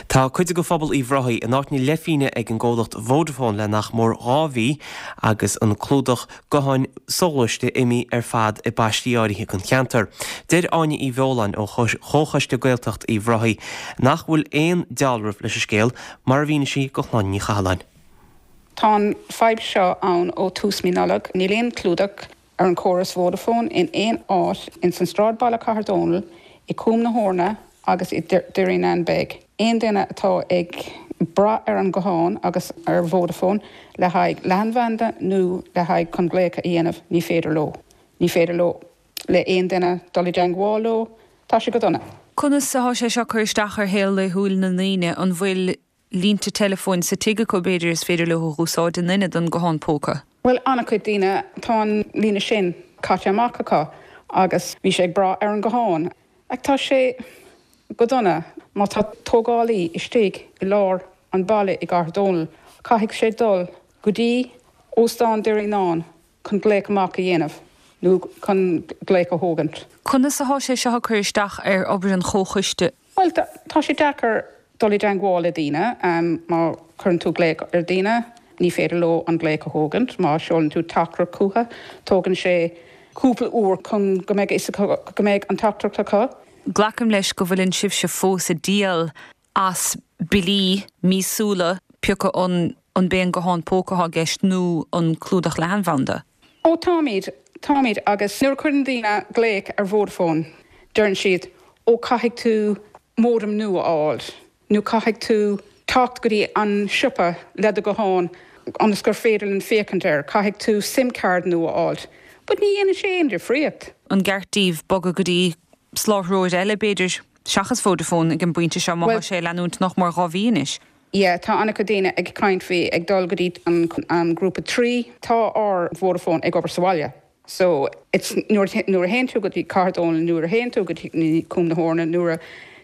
[SPEAKER 1] Tá cuid de phobal Uíbh Ráthaigh in áit na leithphingine ag an gcomhlacht Vodafone le nach mór dhá mhí agus an clúdach gutháin soghluaiste imithe ar fad i bpaistí áirithe den cheantar. Deir Áine Uí Bheoláin ó Chomhchoiste Gaeltacht Uíbh Ráthaigh nach bhfuil aon dealramh leis an scéal, mar a mhínigh sí do Shláine Ní Chathalláin.
[SPEAKER 15] Tá an fadhb seo ann ó tús mí Nollag. Níl aon clúdach ar an córas Vodafone in aon áit ins an sráidbhaile Cathair Dónall, i Cúm na hEorna agus i Derrynane Beg. Aon duine atá ag brath ar an guthán agus ar Vodafone le haghaidh leathanbhanda nó le haghaidh chun glaoch a dhéanamh, ní féidir leo. Ní féidir leo le aon duine dul i dteangmháil leo. Tá sé go dona.
[SPEAKER 16] Conas atá sé seo ag cur isteach ar shaol laethúil na ndaoine? An bhfuil línte teileafóin sa tigh acu b'fhéidir is féidir leo a dh'úsáid in ionad an guthán póca?
[SPEAKER 15] Bhuel, an-chuid daoine, tá an líne sin caite amach acu agus bhí sé ag brath ar an guthán. Ach tá sé go dona má tá tógálaí istigh i lár an bhaile i gCathair Dónall, caithfidh sé dul go dtí Óstán Derrynane chun glaoch amach a dhéanamh nó chun glaoch a thógaint.
[SPEAKER 16] Conas atá sé seo ag cur isteach ar obair an chomhchoiste?
[SPEAKER 15] Bhuel, tá sé deacair dul i dteangmháil le daoine. Má chuireann tú glaoch ar daoine, ní féidir leo an glaoch a thógaint. Má seolann tú teachtaireacht chucu, tógann sé cúpla uair chun go mbeidh fhios acu go mbeidh an teachtaireacht acu.
[SPEAKER 16] Glacaim leis go bhfuileann sibhse fós ag díol as billí míosúla, pé acu an an b'é an guthán póca atá i gceist nó an clúdach leathanbhanda.
[SPEAKER 15] Ó táimid, táimid agus nuair a chuireann daoine glaoch ar Vodafone deireann siad ó caithfidh tú modem nua a fháil nó caithfidh tú teacht go dtí an siopa le do ghuthán ionas gur féidir linn féachaint air, caithfidh tú SIM card nua a fháil. But ní dhéanann sé aon difríocht.
[SPEAKER 16] An gceart daoibh bogadh go dtí soláthróir eile, b'fhéidir, seachas Vodafone ag an bpointe seo má tá sé ag leanúint nach mór dhá mhí anois?
[SPEAKER 15] Yeah, tá an-chuid daoine ag caint faoi ag dul go dtí an grúpa Three. Tá ár Vodafone ag obair sa bhaile. So, it's nuair nuair a théann tú go dtí Cathair Dónall, nuair a théann tú go dtí Cúm na hEorna, nuair a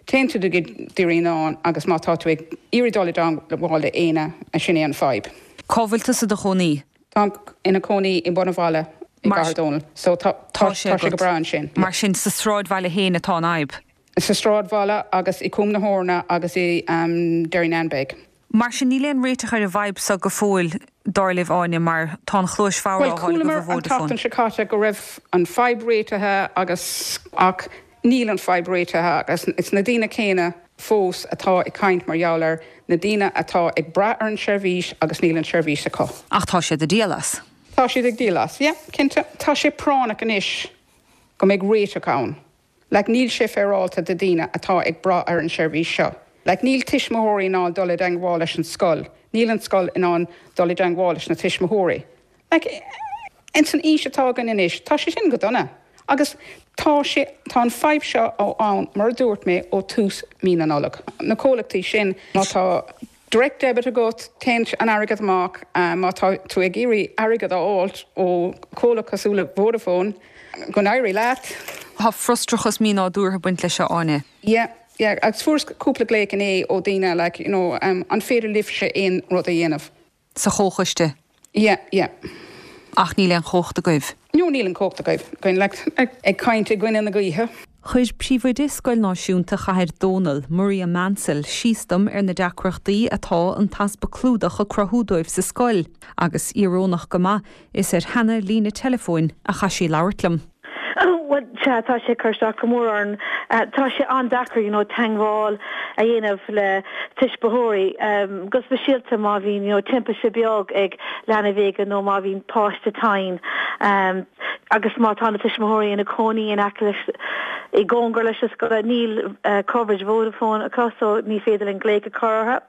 [SPEAKER 15] téann tú go dtí Derrynane agus má tá tú ag iarraidh dul i dteangmháil le éinne, sin é an fadhb.
[SPEAKER 16] Cá bhfuil tusa i do chónaí?
[SPEAKER 15] Táim ina cónaí i mbun an bhaile i gCathair Dónall. So tá tá sé go breá ansin.
[SPEAKER 16] Mar sin sa sráidbhaile féin atá an fhadhb?
[SPEAKER 15] Sa sráidbhaile agus i Cúm na hEorna agus i Derrynane Beg.
[SPEAKER 16] Mar sin níl aon réiteach ar an bhfadhb seo go fóill, dar libh, Áine, mar tá an chluais bhodhar
[SPEAKER 15] á fháil agaibh ó Vodafone. Bhuel, chualamar an tseachtain seo caite go raibh an fadhb réitithe agus ach níl an fadhb réitithe agus it's na daoine céanna fós atá ag caint mar gheall air, na daoine atá ag brath ar an seirbhís agus níl an seirbhís acu.
[SPEAKER 16] Ach tá siad ag díol as.
[SPEAKER 15] Tá siad ag díol as, yeah, cinnte. Tá sé práinneach anois go mbeidh réiteach ann. Like, níl sé féaráilte do daoine atá ag brath ar an seirbhís seo. Like, níl tuismitheoirí in ann dul i dteangmháil leis an scoil, níl an scoil in ann dul i dteangmháil leis na tuismitheoirí. Like, ins an aois atá againn anois, tá sé sin go dona. Agus tá sé, tá an fadhb seo ó ann, mar a dúirt mé, ó tús mí na Nollag. Na comhlachtaí sin, má tá direct debit agat, téann an airgead amach, má tá tú ag iarraidh airgead a fháilt ó chomhlacht cosúil le Vodafone, go n-éirí leat.
[SPEAKER 16] Tá frustrachas mínádúrtha ag baint leis seo, Áine.
[SPEAKER 15] Yeah, yeah, agus fuaireas cúpla glaoch inné ó daoine like, you know, an féidir libhse aon rud a dhéanamh?
[SPEAKER 16] Sa chomhchoiste?
[SPEAKER 15] Yeah, yeah.
[SPEAKER 16] Ach níl aon chumhacht agaibh?
[SPEAKER 15] No, níl an chumhacht agaibh, like, ag caint i gcoinne na gaoithe.
[SPEAKER 16] Chuir Príomhoide Scoil Náisiúnta Chathair Dónall, Maria Mansell, síos dom ar na deacrachtaí atá an t-easpa clúdach ag cruthú dóibh sa scoil, agus íorónach go maith, is ar sheana líne teileafóin a chaith sí labhairt liom.
[SPEAKER 17] Bhuel, sea, tá sé ag cur isteach go mór orainn. Tá sé an-deacair, you know, teangmháil a dhéanamh le tuismitheoirí, go speisialta má bhíonn, you know, timpiste beag ag leanbh éigin nó má bhíonn páiste tinn. Agus má tá na tuismitheoirí ina cónaí in aice leis, i gcóngar leis an scoil, níl coverage Vodafone acu so ní féidir linn glaoch a chur orthu.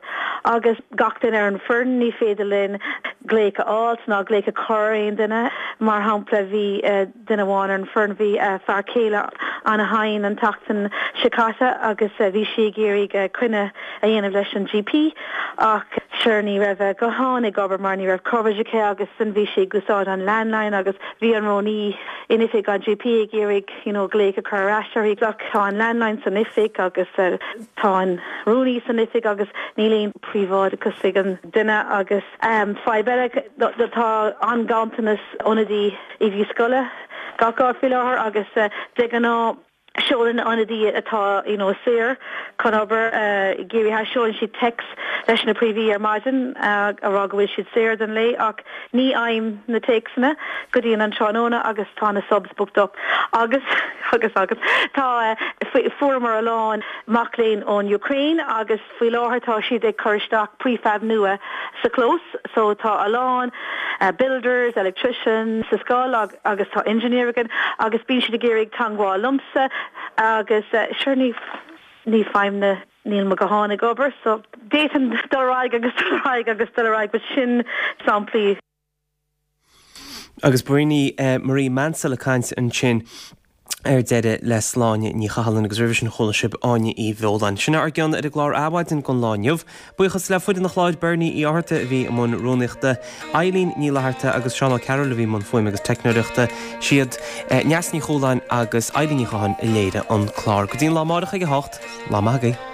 [SPEAKER 17] Agus gach duine ar an foireann, ní féidir linn glaoch a fháilt ná glaoch a chur ar aon duine. Mar shampla, bhí duine amháin ar an foireann, bhí a fear céile ana-thinn an tseachtain seo caite agus bhí sí ag iarraidh coinne a dhéanamh leis an GP ach sure ní raibh a guthán ag obair mar ní raibh coverage aici agus ansin bhí sí ag úsáid an landline agus bhí an rúnaí in oifig an GP ag iarraidh you know glaoch a chur ar ais uirthi ach tá an landline san oifig agus tá an rúnaí san oifig agus níl aon príobháideachas ag an duine agus fadhb eile tá an-ghanntanas ionadaí oidí scoile gach áit faoi láthair agus de ghnáth seolann ionadaí atá you know saor chun obair i gCiarraí Theas seolann siad téacs leis na príomhoidí ar maidin a rá go bhfuil siad saor don lae ach ní fhaighim na téacsanna go dtí an tráthnóna agus tá na subs booked up agus agus agus tá fuaireamar a lán mac léinn ón Ukraine agus faoi láthair tá siad ag cur isteach prefab nua sa chlós so tá a lán builders, electricians sa scoil agus tá engineer againn agus bíonn siad ag iarraidh teangmháil liomsa agus sure ní ní fhaighim na níl mo ghuthán ag obair so d'fhéadfainn dul ar aghaidh agus dul ar aghaidh agus dul ar aghaidh but sin samplaí.
[SPEAKER 1] Agus b'in í Marie Mansell ag caint ansin ar deireadh le Sláine Ní Chathalláin agus roimhe sin chuala sibh Áine Uí Bheoláin. Sin ár gcion ar an gclár Adhmhaidin don lá inniu. Buíochas le foireann an chláir Bernie Uí Fhátharta a bhí i mbun rúnaíochta, Eileen Ní Fhlatharta agus Seán Ó Cearúil a bhí i mbun fuaime agus teicneoireachta. Siad Neasa Ní Chualáin agus Eilín Ní Chatháin a léirigh an clár. Go dtí an lá amárach ag a hocht, lá maith agaibh.